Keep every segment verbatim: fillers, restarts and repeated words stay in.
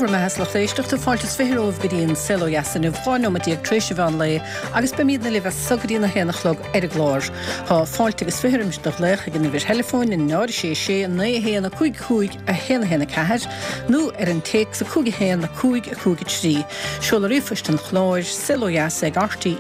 bhur mbeatha, a lucht éisteachta, fáilte is fiche romhaibh go dtí an Saol Ó Dheas inniu, dhá nóiméad déag tar éis an mheán lae agus beimidne libh as so go dtí a haon a chlog ar an gclár. Tá fáilte agus fiche roimis do ghlaoch ag an uimhir theileafóin náid a sé sé naoi a haon a cúig cúig a haon a haon a ceathair nó ar an téacs a cúig a haon a cúig a cúig a trí. Seoladh ríomhphoist an chláir, saolodheas ag rte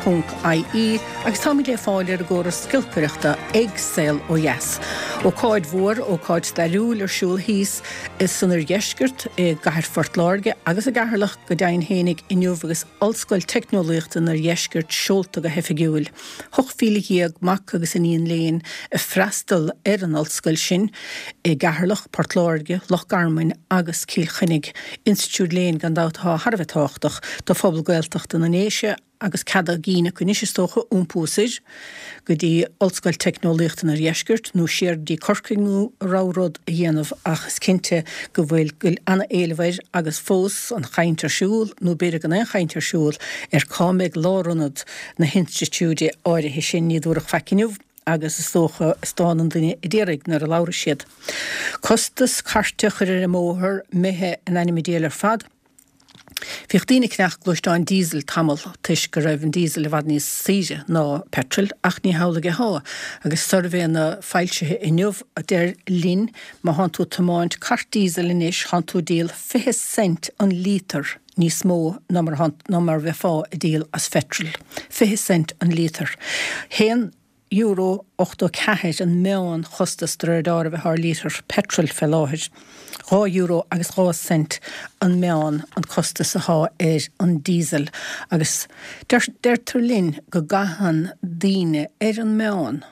ponc ie agus táimid le fáil ar an gcóras giolcaireachta ag Saol Ó Dheas. Ócáid mhór, ócáid stairiúil ar siúl thíos san oirdheisceart, i gcathair Phort Láirge agus i gCeatharlach go deimhin fhéinig inniu agus Ollscoil Teicneolaíochta an Oirdheiscirt seolta go hoifigiúil. Ocht mhíle dhéag mac agus iníon léinn ag freastal ar an ollscoil sin i gCeatharlach, Port Láirge, Loch Garman agus Cill Chainnigh. Institiúid léinn gan dabht atá thar a bheith tábhachtach do phobal Gaeltachta na nDéise agus cead á gcinn acu anois is dócha iompú soir go dtí Ollscoil Teicneolaíochta an Oirdheiscirt nó siar go dtí Corcaigh nó a rogha rud a dhéanamh ach is cinnte go bhfuil go bhfuil an-éileamh air agus fós an chaint ar siúl nó b'fhéidir gan aon chaint ar siúl ar cá mbeidh lárionad na hinstitiúide áirithe sin ní dúradh faic inniu agus is dócha is dán an duine a déarfaidh nuair a labhróidh siad. Costas cairte a chur ar an mbóthar imithe in ainm an diabhail ar fad. Bhíodh daoine ag ceannach gluaisteáin diesel tamall toisc go raibh an diesel i bhfad níos saoire ná petrol ach ní hamhlaidh atá agus suirbhéanna foilsithe inniu a deir linn má thánn tú ag tiomáint cairt diesel anois thánn tú ag díol fiche cent an líotar níos mó ná mar ná mar bheifeá ag díol as phetrol. Fiche cent an líotar. Haon euro ochtó ceathair an meán chostas de réir dealraimh atá ar líotar peitril fé láthair. Dhá euro agus dhá cent an meán an costas atá ar an diesel agus deirtear linn go gcaitheann daoine ar an meán,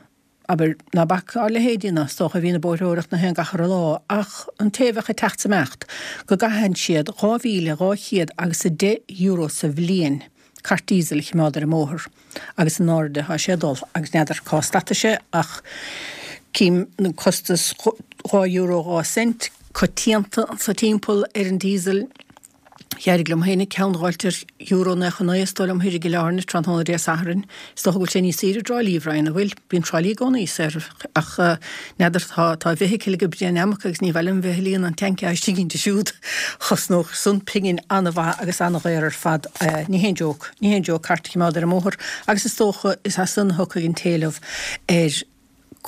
abair, ná bac ár leithéidí ná is dócha a bhíonn ag bóithreoireacht na haon gach re lá, ach an té a bheadh ag teacht 's imeacht, go gcaitheann siad dhá mhíle dhá chéad agus a deich euro sa bhliain. cairt diesel a chimeád ar an mbóthar agus in airde thá sé ag dul agus n'fheadar cá stadfaidh sé ach cím an costas dhá euro dhá cent coitianta anso timpeall ar an diesel. D'éirigh liom féinig ceann dh'fháilt ar euro naocha naoi is dóigh liom thoir i gCill Airne tráthnóna Dé Sathairn. Is dócha go bhfuil sé níos saoire i dTrá Lí, Bhrian, an bhfuil? Bíonn Trá Lí i gcónaí saor ach n'fheadar tá tá bhfeithicil ag Brian Emac agus ní mhaith liom bheith ag líonadh an tanc istigh inti siúd. Chosnódh san pingin an-mhaith agus an-dhaor ar fad. Ní haon joke, ní haon joke cairt a chimeád ar an mbóthar agus is dócha is as san a thiocfaidh an t-éileamh ar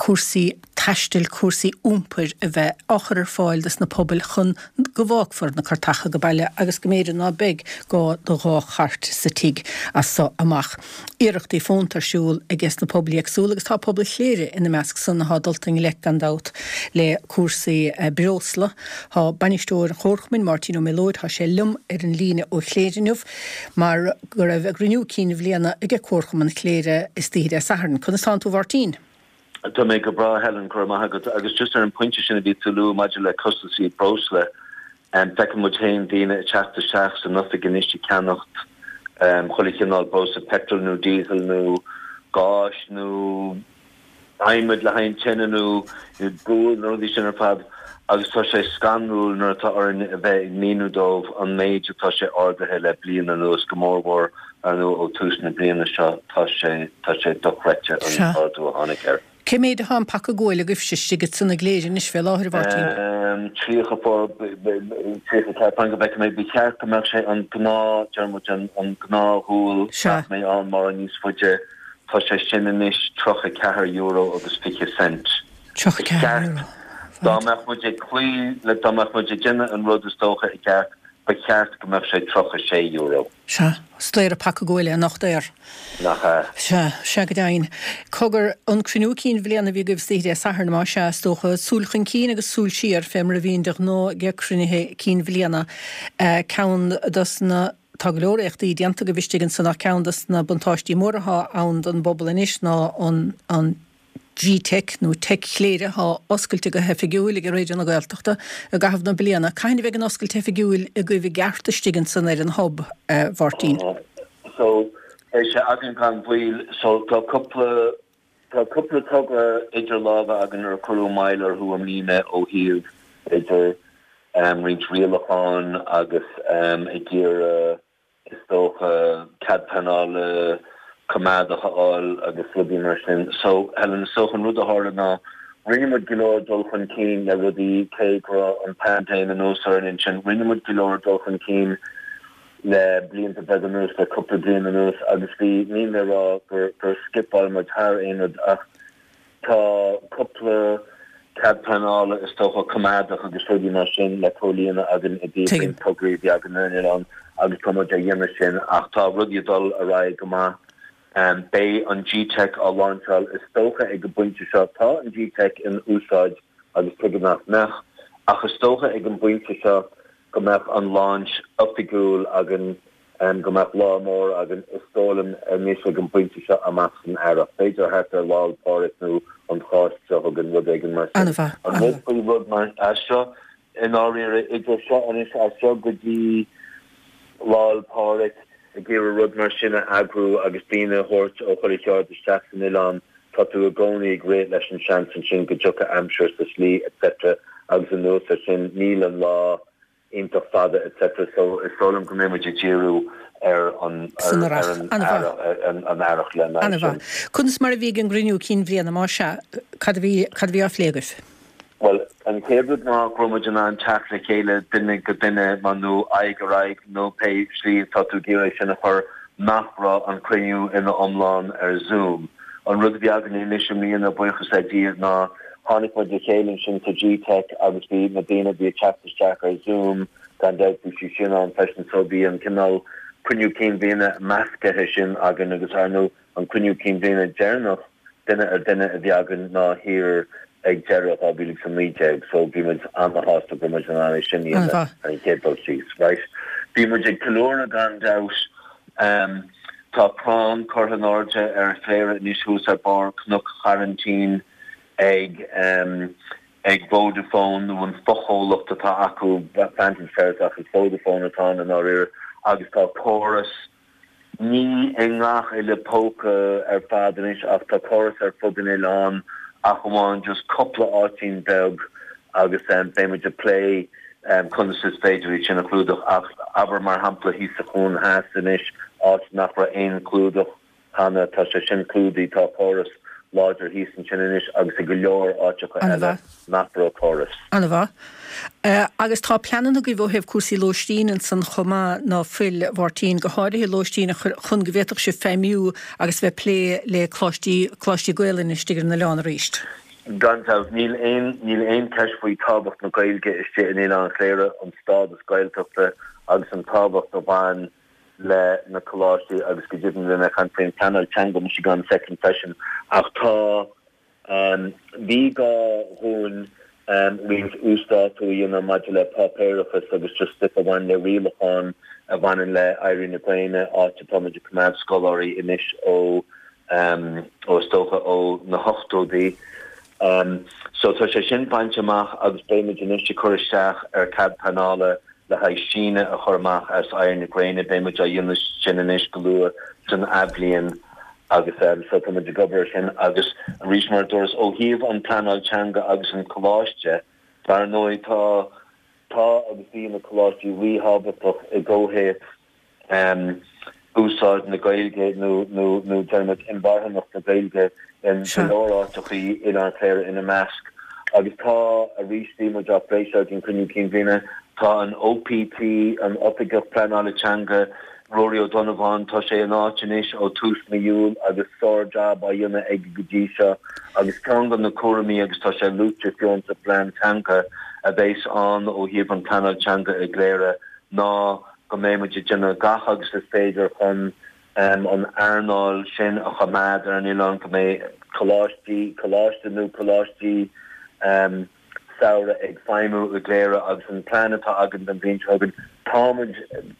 cúrsaí taistil, cúrsaí iompair a bheith á chur ar fáil dos na pobail chun go bhfágfar na cairteacha go baile agus go mb'fhéidir ná beidh gá do dhá chairt sa tigh as so amach. Iarrachtaí fónta ar siúl aige sna pobail éagsúla agus tá pobal Chléire ina measc san athá dulta i ngleic gan dabht le cúrsaí breosla. Tá bainisteoir an Chomharchumainn, Máirtín Ó Méalóid, tá sé liom ar an líne ó Chléire inniu mar go raibh a gcruinniú cinn bhliana aige Comharchumann Chléire istoíche Dé Sathairn. Conas tánn tú a Mháirtín? Tá mé go breá, Helen, go raibh maith agat. Agus just ar an phointe sin a bhí tú a lua maidir le costasaí breosla, feiceann muid féin daoine ag teacht isteach san oifig anois ag ceannacht chuile chineál breosla, petrol nó diesel nó gáis nó adhmad le haghaidh an tine nó gual na rudaí sin ar fad agus tá sé scanrúil nuair atá orainn a bheith ag míniú dóibh an méid atá sé ardaithe le bliain anuas, go mórmhór ar ndóigh ó tús na bliana seo, tá sé tá sé dochreidte an t-ardú a tháinig air. Cé méid atá an paca guail agaibhse istigh ansan i gCléire anois fé láthair, a Mháirtín? Tríocha four, tríocha ceathair, fan go bhfeicfidh mé, ba cheart go mbeadh sé an gnáth, deir muid an an gnáthghual nach mbeidh ann mórán níos faide, tá sé sin anois tríocha ceathair euro agus fiche cent. Tríocha ceathair euro. Dá mbeadh muid ag cloí le, dá mbeadh muid ag déanamh an rud is dócha i gceart, ba cheart go mbeadh sé tríocha sé euro. Sea, is daor an paca guail é, nach daor? Nach ea? Sea, sea go deimhin. Cogar, an cruinniú cinn bhliana a bhí agaibh istoíche Dé Sathairn, más ea, is dócha, súil chun cinn agus súil siar, fé mar a bhíonn de ghnáth ag cruinnithe cinn bhliana. Ceann dos na, tá go leor éachtaí déanta agaibh istigh ansan ach ceann dos na buntáistí móra athá ann don bpobal anois ná an, an, G-Teic nó Teic Chléire atá oscailte go hoifigiúil ag Raidió na Gaeltachta i gcaitheamh na bliana. Cathain a bheidh an oscailt oifigiúil agaibh i gceart istigh ansan ar an Hub, a Mháirtín? So, beidh sé againn gan mhoill. So, tá cúpla, tá cúpla togra idir lámha againn ar cuireadh moill orthu i mbliana ó thaobh, b'fhéidir, roinnt rialacháin agus ag iarraidh, is dócha, cead pleanála coimeádach a fháil agus rudaí mar sin. So, Helen, is dócha an rud a tharla ná Rinne muid go leor dul chun cinn le rudaí cé go raibh an paindéim anuas orainn ansin, rinne muid go leor dul chun cinn le blianta beaga anuas, le cúpla bliain anuas agus bhí, níl mé ag rá gur gur scipeáil muid thar aon rud ach tá cúpla cead pleanála is dócha coimeádach agus rudaí mar sin le comhlíonadh againn i dtaobh Tuigim. roinnt tograí a bhí againn ar an oileán agus tá muid á dhéanamh sin ach tá rudaí ag dul ar aghaidh go maith. Beidh an G-Teic á láinseáil is dócha ag an bpointe seo. Tá an G-Teic in úsáid agus tuige nach mbeadh, ach is dócha ag an bpointe seo go mbeadh an launch oifigiúil againn, go mbeadh lá mór againn, is dóigh liom anois ag an bpointe seo amach san earrach, b'fhéidir thart ar Lá 'le Pádraig nó an Cháisc seo chugainn, rud éigin mar sin. An-mhaith, An rud faoi rud mar seo, i ndáiríre, idir seo anois as seo go dtí Lá 'le Pádraig, ag iarraidh rud mar sin a eagrú agus daoine a thabhairt ó chuile cheard isteach san oileán, tá tú i gcónaí ag rith leis an seans ansin go dtiocfaidh aimsir sa slí etc agus anuas ar sin níl an lá iontach fada etc so is dóigh liom go mbeidh muid ag díriú ar an San ar earrach. an An-mhaith. earrach an earrach lena aghaidh sin. An-mhaith. Conas mar a bhí ag an gcruinniú cinn bhliana, más ea? Cad a bhí cad a bhí á phlé agaibh? Bhuel, an chéad rud ná go raibh muid in ann teacht le chéile duine go duine mar nó aghaidh ar aghaidh nó pé slí atá tú ag iarraidh sin a chur, nach raibh an cruinniú ina iomlán ar Zoom. An rud a bhí againn anois i mbliana, buíochas le Dia, ná tháinig muid le chéile ansin sa G-Teic agus bhí na daoine a bhí ag teacht isteach ar Zoom, gan dabht bhí siad sin ann freisin so bhí an cineál cruinniú cinn bhliana meascaithe sin againn agus ar ndóigh an cruinniú cinn bhliana deireanach duine ar duine a bhí againn ná thiar ag deireadh dhá mhíle agus a naoi déag so bhí muid an-shásta go raibh muid in ann é sin a dhéanamh ar an chéad dul síos. Right. Bhí muid ag ceiliúradh gan dabht. Um, tá crann curtha in airde ar Chléire anois thuas ar barr Cnoc Choraintín ag um, ag Vodafone nó an fochomhlacht atá acu Vantage Towers ach is Vodafone atá ann i ndáiríre agus tá córas Ní i ngach uile póca ar fad anois ach tá córas ar fud an oileáin ach amháin just cúpla áitín beag agus beidh muid ag plé conas is féidir iad sin a chlúdach ach abair mar shampla thíos sa Chuan Theas anois áit nach raibh aon chlúdach cheana tá sé sin clúdaithe tá córas láidir thíos ansin anois agus i go leor áiteacha eile nach raibh córas. An-mhaith. Agus tá pleananna agaibh ó thaobh cúrsaí lóistín ansan chomh maith ná fuil, a Mháirtín, go háirithe lóistín a chur chun go bhféadfadh sibh feidhmiú agus bheith plé le coláistí, coláistí Gaelainne istigh ar an oileán arís. Gan dabht, níl aon, níl aon cheist faoi tábhacht na Gaeilge istigh in Oileán Chléire, an stádas Gaeltachta agus an tábhacht a bhain le na coláistí agus go deimhin bhí mé ag caint faoin pleanáil teanga mise gan soicind freisin ach tá bhí gá dhúinn roinnt uasdátú a dhéanamh maidir le páipéarachas agus just stuif a bhain le rialacháin a bhaineann le Éirí na Gréine áit atá muid ag coimeád scoláirí anois ó ó is dócha ó na hochtóidí. So tá sé sin bainte amach agus beidh muid anois ag cur isteach ar cead pleanála le haghaidh síneadh a chur amach as Éirí na Gréine. Beidh muid á dhéanamh sin anois go luath san athbhliain agus so tá muid ag obair ar sin agus arís mar a dúras ó thaobh an pleanáil teanga agus an coláiste, dar ndóigh tá tá agus bhí na coláistí ríthábhachtach i gcomhthéacs úsáid na Gaeilge nó nó nó déarfaimid inmharthanacht na Gaeilge in go leor áiteachaí, Oileán Chléire ina measc. Agus tá, arís, bhí muid á phlé seo ag an gcruinniú cinn bhliana, tá an OPT, an Oifigeach Pleanála Teanga, Ruairí Ó Donnabháin, tá sé in áit anois ó tús mí Iúil agus sár-jab á dhéanamh aige go dtí seo agus ceann de na cúraimí agus tá sé luaite fiú sa phlean teanga a bheas ann ó thaobh an pleanáil teanga i gCléire ná go mbeidh muid ag déanamh gach agus is féidir chun an earnáil sin a choimeád ar an oileán, go mbeidh coláistí, coláiste nó coláistí samhraidh ag feidhmiú i gCléire agus an plean atá againn don bhliain seo chugainn, tá muid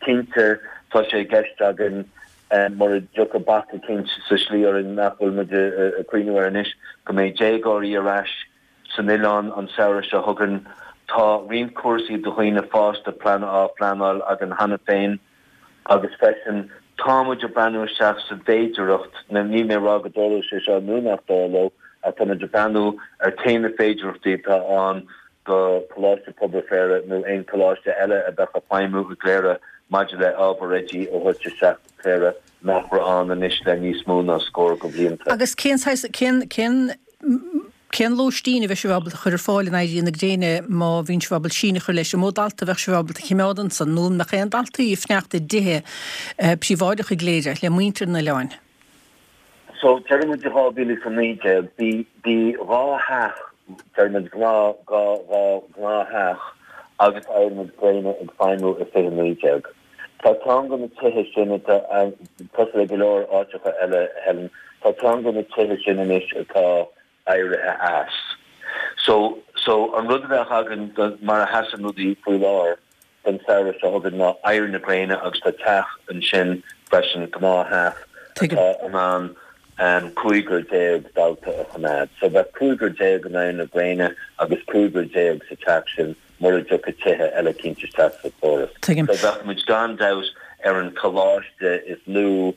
cinnte, tá sé i gceist againn mura dtiocfaidh bac eicínt sa slí orainn nach bhfuil muid ag cuimhniú air anois, go mbeidh déagóirí ar ais san oileán an samhradh seo chugainn. Tá roinnt cúrsaí do dhaoine fásta plean á phleanáil againn cheana féin agus freisin tá muid ag breathnú isteach sa bhféidearthacht, níl mé ag rá go dtarlóidh sé seo nó nach dtarlóidh, ach tá muid ag breathnú ar cé na féidearthachtaí atá ann do Choláiste Pobail Chléire nó aon choláiste eile a bheadh ag feidhmiú i gCléire maidir le ábhar oidí a thabhairt isteach go Cléire nach raibh ann anois le níos mó ná scór de bhlianta. Agus cén saghas, cén, cén. Cén lóistín a bheidh sibh ábalta a chur ar fáil in Éirí na Gréine má bhíonn sibh ábalta síneadh a chur leis? An mó dalta a bheadh sibh ábalta a chimeád ansan nó an mbeadh aon daltaí ag fanacht i dtithe príobháideacha i gCléire le muintir an oileáin? So, deireann muid i dhá mhíle is a naoi déag, bhí, bhí dhá theach, deireann muid gnáth, dhá, dhá ghnáth-theach agus Éirí na Gréine ag feidhmiú i fiche naoi déag. Tá ceann de na tithe sin atá, cosúil le go leor áiteacha eile, Helen, tá ceann de na tithe sin anois atá éirithe as. So, so an rud a bheadh againn do, mar a sheasann rudaí faoi láthair don samhradh seo chugainn ná Éirí na Gréine agus tá teach ansin freisin, gnáth-theach atá in ann cúigear déag dalta a choimeád. So bheadh cúigear déag in Éirí na Gréine agus cúigear déag sa teach sin mura dtiocfadh tithe eile cinnte isteach sa chóras. So bheadh muid gan dabht ar an choláiste is lú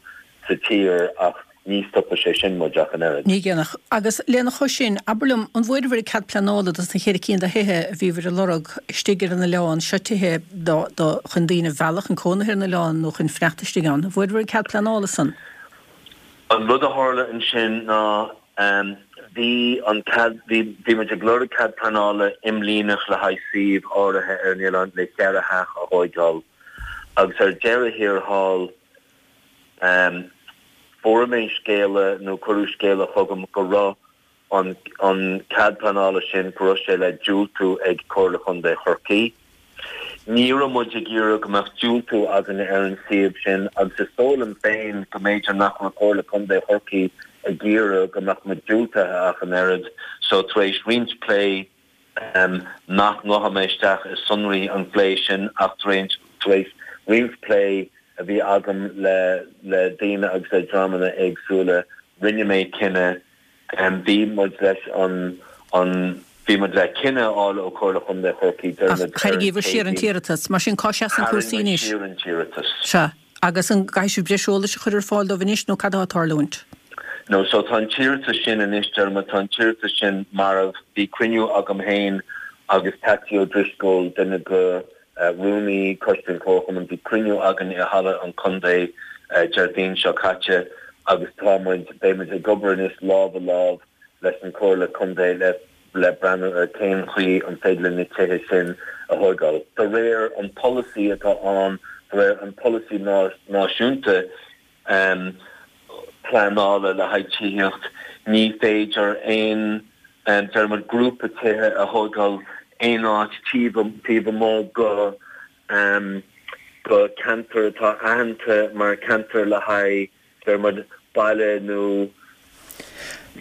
sa tír ach ní stopfaidh sé sin muid ach an oiread. Ní dhéanfadh. Agus lena chois sin, abair liom, an bhfuaireabhair an cead pleanála dos na ceithre cinn de thithe a bhíobhair ag lorg istigh ar an oileán, seo tithe do, do, chun daoine a mhealladh chun cónaithe ar an oileán nó chun fanacht istigh ann. An bhfuaireabhair an cead pleanála san? An rud a tharla ansin ná bhí an cead, bhí, bhí muid ag lorg cead pleanála imlíneach le haghaidh suíomh áirithe ar an oileán le ceithre theach a thóigeáil agus ar deireadh thiar thall, Fuair mé scéala nó cuireadh scéala chugam go raibh an an cead pleanála sin, go raibh sé le diúltú ag Comhairle Chontae Chorcaí. Ní raibh muid ag iarraidh go mbeadh diúltú againn ar an suíomh sin agus is dóigh liom féin go mb'fhéidir nach raibh Comhairle Contae Chorcaí ag iarraidh go mbeadh muid diúltaithe ach an oiread. So tar éis roinnt plé, nach ngabhfaidh mé isteach i sonraí an phlé sin ach tar éis roinnt plé a bhí agam le le daoine agus le dreamanna éagsúla, rinne mé cinneadh, bhí muid leis an an bhí muid le cinneadh a fháil ó Chomhairle Chontae Chorcaí, deir muid ar an Tharraingíobhair siar an t-iarratas. Mar sin, cá seasann cúrsaí Tharraing muid anois? siar an t-iarratas. Sea. Agus an gcaithfidh sibh breis eolais a chur ar fáil dóibh anois nó cad atá ag tarlúint? No, so tá an t-iarratas sin anois, Dermot, tá an t-iarratas sin marbh. Bhí cruinniú agam féin agus Patsy O'Driscoll, duine de rúnaí coiste an Chomharchumainn, bhí cruinniú againn i Halla an Chontae Déardaoin seo caite agus tá muid, beidh muid ag obair anois lámh i lámh leis an Chomhairle Contae le le breathnú ar cén chaoi an féidir linn na tithe sin a thóigeáil. De réir an polasaí atá ann, de réir an polasaí náisiúnta, pleanála le haghaidh tithíocht, ní féidir aon, deir muid, grúpa tithe a thóigeáil aon áit taobh amuigh go go ceantar atá aitheanta mar cheantar le haghaidh, deir muid, baile nó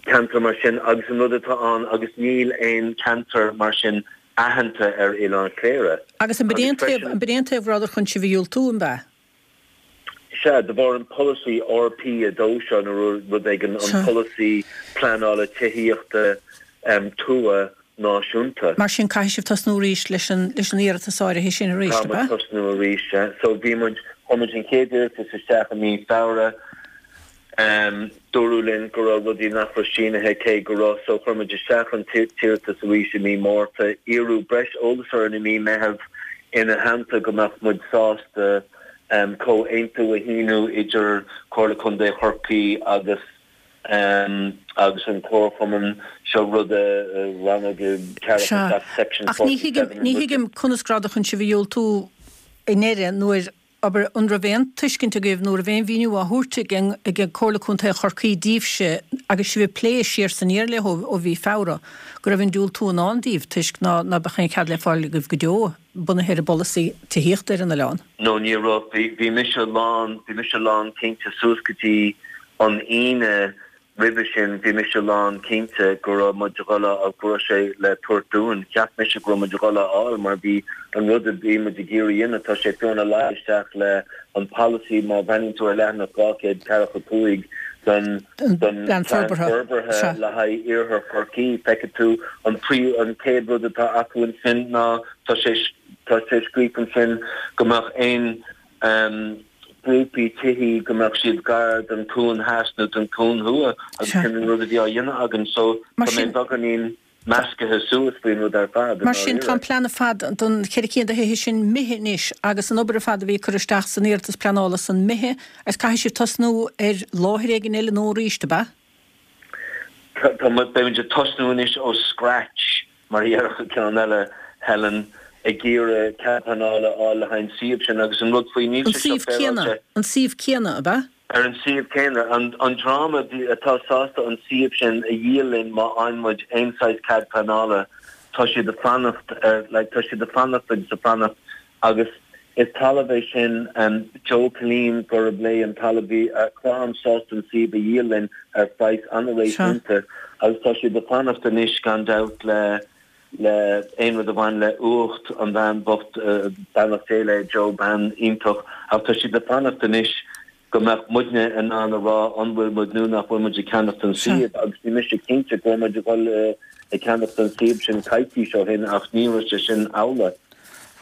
ceantar mar sin agus an rud atá ann agus níl aon cheantar mar sin aitheanta ar Oileán Chléire. Agus an b'in é an taobh go rabhadar chun sibh a dhiúltú, an b'ea? Sea, de bharr an polasaí RP a dó seo nó rud éigin, an polasaí pleanála tithíochta tuaithe náisiúnta. Mar sin, caithfidh sibh tosnú arís leis an leis an iarratas áirithe sin arís, ab ea? Tá muid tosnú arís, sea. So bhí muid, chuir muid an chéad iarratas isteach i mí Feabhra. Dúradh linn go raibh rudaí nach raibh sínithe, cé go raibh, so chuir muid isteach an t-iarratas arís i mí Márta. Iarradh breis eolais orainn i mí Meitheamh ina theannta go mbeadh muid sásta comhaontú a shíniú idir Comhairle Contae Chorcaí agus agus an Comharchumann seo, rud a rannóg ceathracha Sea, seacht section ach ní forty thuigim, seven ní thuigim conas go rabhadar chun sibh a dhiúltú i ndeireadh nuair, abair, an raibh aon tuiscint agaibh nó raibh aon mhíniú á thabhairt ag an, ag Comhairle Contae Chorcaí daoibhse agus sibh ag plé siar is aniar leo ó mhí Feabhra go raibh an diúltú i ndán daoibh toisc ná, ná beadh aon chead le fáil agaibh go deo? bunaithe ar an bpolasaí tithíochta ar an oileán. No, ní raibh. Bhí, bhí mise lán, bhí mise lán cinnte suas go dtí an Aoine roimhe sin, bhí mise lán cinnte go raibh muid a dhul a, go raibh sé le tabhairt dúinn. Cheap mise go raibh muid a dhul a fháil mar bhí an rud a bhí muid ag iarraidh a dhéanamh, tá sé fiú ina luí isteach le an polasaí, má bhreathnaíonn tú ar leathanach dhá chéad ceathracha cúig den, Den den bPlean Plean Forbartha. Forbartha Sea. le haghaidh Iarthar Chorcaí, feicfidh tú an príomh, an chéad rud atá acu ansin ná, Tá sé tá sé scríofa ansin go mbeadh aon grúpaí tithí go mbeadh siad gar don chuan theas nó don chuan thuaidh agus Sea. sin an rud a bhí á dhéanamh againn so Mar tá mé sin, beagáinín meascaithe suas faoin rud ar fad i mar sin tá ndáiríre. an plean ar fad don cheithre cinn de thithe sin imithe anois agus an obair ar fad a bhí curtha isteach san iarratas pleanála san imithe agus caithfidh sibh tosnú ar láthair éigin eile nua arís, ab ea? Tá beimid ag tosnú anois ó scratch, mar a déarfadh an ceann eile, Helen, ag iarraidh cead pleanála a fháil le haghaidh an suíomh sin agus an rud faoi níl sé seo féaráilte. An suíomh céanna, ab ea? Ar an suíomh céanna. An dream atá sásta an suíomh sin a dhíol linn má fhaigheann muid aon saghas cead pleanála, tá siad ag fanacht ar, like, tá siad ag fanacht agus ag fanacht agus is talamh é sin Joe Killeen gurb léi an talamh bhí a chlann sásta an suíomh a dhíol linn ar phraghas an-réasúnta agus tá siad ag fanacht anois gan dabht le le aon rud a bhain le uacht an bhean bhocht beannacht Dé léi Joe bean iontach ach tá siad ag fanacht anois go mbeadh muidne in ann a rá an bhfuil muid nó nach bhfuil muid ag ceannacht an suíomh agus bhí mise cinnte go raibh muid ag dul ag ceannacht an suíomh sin coicís ó shin ach ní raibh sé sin amhlaidh.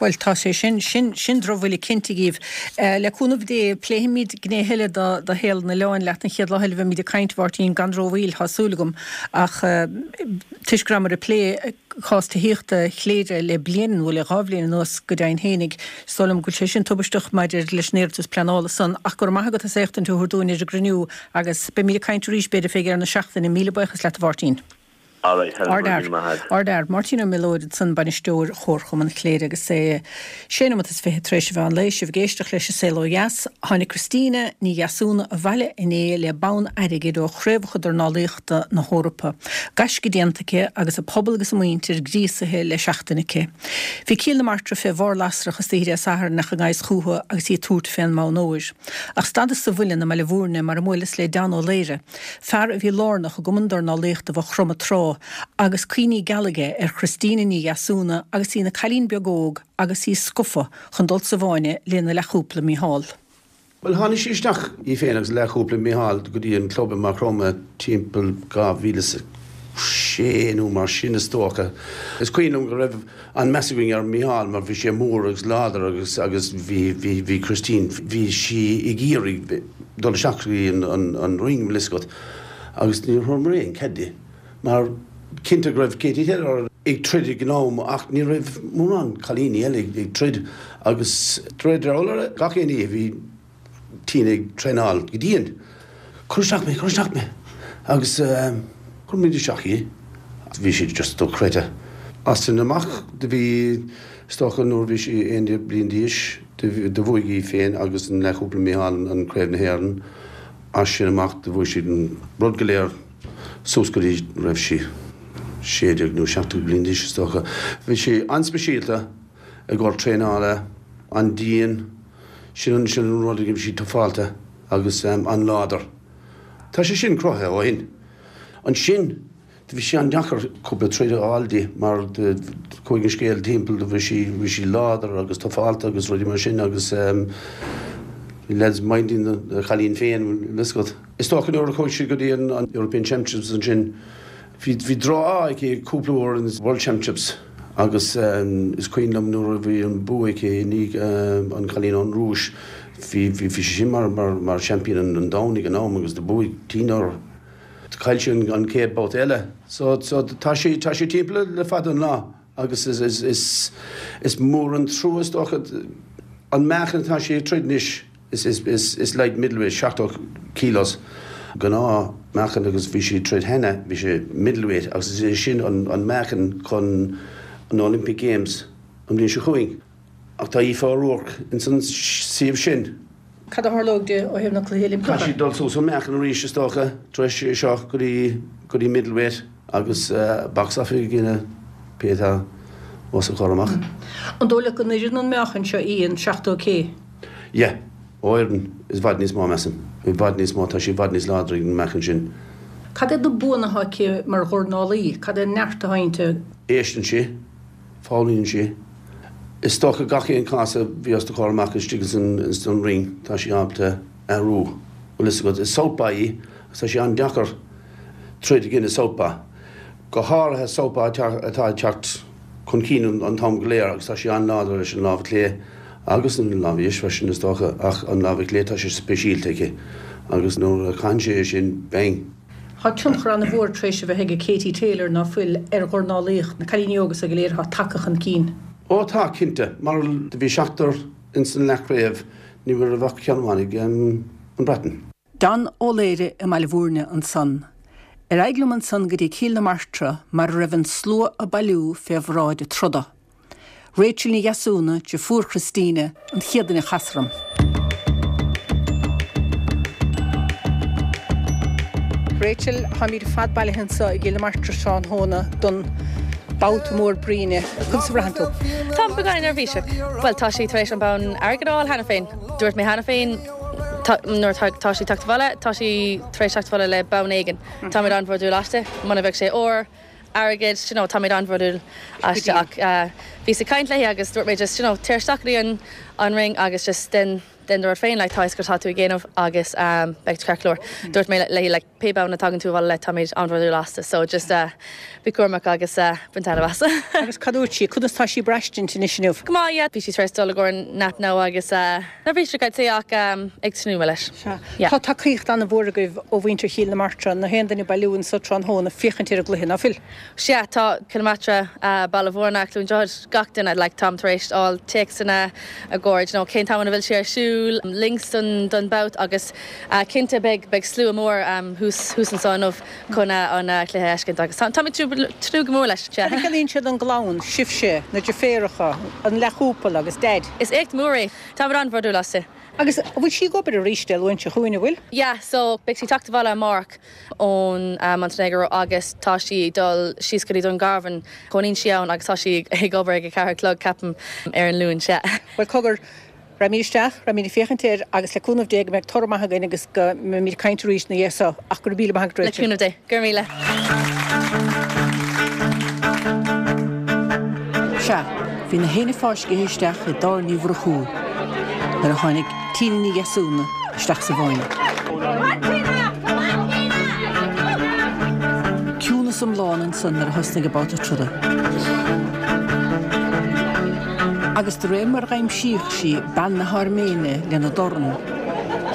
Bhuel, tá sé sin, sin, sin drochbhuille cinnte dhíbh. Le cúnamh Dé, pléifimid gné eile de, de shaol an oileáin leat an chéad lá eile a bheimid ag caint, a Mháirtín, gan rómhoill, tá súil agam. Ach toisc go rabhamar ag plé cás tithíochta Chléire le bliain, nó le dhá bhliain anuas go deimhin fhéinig, is dóigh liom go bhfuil sé sin tubaisteach maidir leis an iarratas pleanála san. Ach go raibh maith agat as éachtaint a thabhairt dúinn ar an gcruinniú agus beimid ag caint arís b'fhéidir fé dheireadh na seachtaine. Míle buíochas leat a Mháirtín. Alright, Helen, go raibh míle maith agat. Ardfhear. Máirtín Ó Miolóir ansan, bainisteoir Chomharchumann Chléire agus é sé nóiméad is fiche tar éis an mheán lae, sibh ag éisteacht leis an Saol Ó Dheas. Tháinig Christina Ní Dheasúna abhaile inné le bonn airgid ó Chraobhacha Dornálaíochta na hEorpa. Gaisce déanta aici agus a pobal agus a muintir gríosaithe le seachtain aici. Bhí Cill na Martra fé bharr lasrach istoíche Dé Sathairn ach i ngan fhios chúthu agus í ag tabhairt fén mbonn óir. Ach stadas sa mhuileann i mBaile Bhúirne mar a mbuaileas le Dan Ó Laoire, fear a bhí lárnach i gCumann Dornálaíochta Mhaigh Chromtha tráth, agus cuimhní geala aige ar Christina Ní Dheasúna agus í ina cailín beag óg agus í scufa chun dul sa bhfáinne lena leathchúpla Micheál. Bhuel, tháinig sí isteach, í féin agus a leathchúpla Micheál, go dtí an club i Maigh Chromtha timpeall dhá mhíle is a sé nó mar sin is dócha. Is cuimhin liom go raibh an-meas againn ar Micheál mar bhí sé mór agus láidir agus agus bhí bhí bhí Christine, bhí sí ag iarraidh dul isteach go dtí an an an ring, bhfuil fhios agat, agus níor thugamar aon cead di mar cinnte go raibh Katie Taylor ag troid ag an am ach ní raibh mórán cailíní eile ag troid agus de réir dealraimh gach aon oíche bhí Tina ag traenáil go dian. Cuir isteach mé, cuir isteach mé! Agus chuir muid isteach í. Bhí sí just dochreidte. As sin amach do bhí, is dócha nuair a bhí sí aon déag bliain d'aois, do bhuaigh í féin agus an leathchúpla Micheál an Craobh na hÉireann. As sin amach do bhuaigh siad an rud go léir suas go dtí raibh sí sé déag nó seacht déag bliain d'aois is dócha. Bhí sí an-speisialta i gcomhair traenála, an-dian. Sin an sin an rud a bhí sí tufálta agus an-láidir. Tá sé sin cruthaithe ó shin. Ansin do bhí sé an-deacair cúpla troid a fháil di mar do chuaigh an scéal timpeall do bhí sí bhí sí láidir agus tufálta agus rudaí mar sin agus bhí lads minding an chailín féin bhfuil fhios agat. Is dócha nuair a chuaigh sí go dtí an European Championships ansin Bhí bhí droch-ádh aici cúpla uair in World Championships agus is cuimhin liom nuair a bhí an bua aici i ndiaidh an chailín ón Rúis, bhí bhí sí sin mar mar mar seaimpín an domhain ag an am agus do bhuaigh Tina uirthi. Chaill sí an chéad babhta eile. So so tá sí tá sí timpeall le fada an lá agus is is is is mór an trua is dócha an meáchan atá sí ag troid anois. Is light middleweight, seachtó kilos, gnáth meáchan agus bhí sí ag troid cheana, bhí sé middleweight agus is é sin an meáchan chun an Olympic Games an bhliain seo chugainn. Ach tá Aoife O'Rourke ins an suíomh sin. Cad a tharlóidh di ó thaobh na Cluichí Oilimpeacha? Caithfidh sí dul suas an meáchan arís is dócha tar éis seo go dtí go dtí middleweight agus box off i gcoinne pé atá os a comhair amach. An dóigh leat go n-oireann an meáchan seo í, an seachtó kg? Yeah. Oireann. I bhfad níos mó, measaim. I bhfad níos mó. Tá sí i bhfad níos láidre ag an meáchan sin. Cad iad na buanna atá aici mar dhornálaí? Cad é an neart atá inti? Éisteann sí. Foghlaimíonn sí. Is dócha gach aon cás a bhí os do chomhair amach istigh ins an ring, tá sí ábalta athrú. Bhfuil fhios agat, is southpaw í agus tá sé an-deacair troid i gcoinne southpaw. Go háirithe southpaw atá ag teacht chun cinn an t-am go léir agus tá sí an-láidir leis an lámh chlé agus an lámh dheis freisin is dócha ach an lámh chlé tá sé speisialta aici agus nuair a chaitheann sí é sin, bang! Tá tionchar an-mhór tar éis a bheith ag Katie Taylor, ná fuil, ar dhornálaíocht, na cailíní óga so go léir atá tagtha chun cinn. Ó tá, cinnte, mar do bhí seachtar ins an leathchraobh, ní raibh ach ceann amháin ag an Breatain. Dan Ó Laoire i mBaile Bhúirne ansan. Ar aghaidh liom ansan go dtí Cill na Martra mar a raibh an slua ag bailiú fé bhráid an troda. Rachel Ní Dheasúna, deirfiúr Christina, an chéad duine a chas orm. Rachel, táimid ar fad bailithe anseo i gCill na Martra tráthnóna don babhta mór bruíne. Conas a bhraitheann tú? Táim beagán neirbhíseach. Bhuel tá sí tar éis an bonn airgid a fháil cheana féin. Dúirt mé cheana féin nuair tá sí teacht abhaile, tá sí tar éis teacht abhaile le bonn éigin. Táimid an-bhródúil aisti, muna bheadh sé ór, airgead, you know, táimid an-bhródúil aisti ach bhíos ag caint léi agus dúirt mé just, you know, téir isteach go dtí an an ring agus just den den do rud féin, like, tá fhios gur tá tú ag déanamh agus um, beidh tú ceart go leor. Dúirt mé léi like, pé bonn a tagann tú abhaile le táimid an-bhródúil astu, so just uh, bí cúramach agus uh, bain taitneamh as. Agus cad dúirt sí, conas tá sí ag braistint anois inniu? Go maith, yeah. Bhí sí tar éis dul i gcomhair nap now agus uh, neirbhíseach I'd say ach um, ag tnúth leis. Yeah. Tá tacaíocht an-mhór agaibh ó mhuintir Chill na Martra, na haon duine bailiú anseo tráthnóna féachaint ar an gcluiche, ná fuil? Sea, tá Cill na Martra, uh, Baile Mhúirne, Cluain Droichead, gach duine like, táim tar éis fháil téacsanna a gcuid, you know, cén t-am a bhfuil sé ar siúl, links don, don bout agus uh, cinnte beidh beidh slua mór um, thuas thuas anseo inniu chun uh, an uh, cluiche a fheiscint agus tá táimid tnúth go mór leis. Cad a chiallaíonn sé don gclann, sibhse, na deirféaracha, an leathchúpla agus Daid? Is éacht mór é, Táimid an-bhródúil aisti. Agus an bhfuil sí ag obair arís Dé Luain seo chugainn, an bhfuil? Yeah, so beidh sí teacht abhaile amárach ón uh, Montenegro agus tá sí ag dul síos go dtí Dún Garbhán, cónaíonn sí ann agus tá sí ag obair ag a ceathair a chlog ceapaim ar an Luan sea. Bhuel cogar, raghaimid isteach, raghaimid ag féachaint air agus le cúnamh Dé go mbeidh toradh maith againn agus go mbeimid ag caint arís ina dhiaidh seo ach go raibh míle maith agat Le Rachel. cúnamh Dé, go raibh míle. Sea, bhí na héinne fáiscthe isteach i dTábhairne Uí Mhurchú nuair a tháinig Tina Ní Dheasúna isteach sa bhfáinne. Ciúnas iomlán ansan nuair a thosnaigh an babhta troda. Agus de réir mar d'aimsíodh sí bean na hAirméine lena dorn,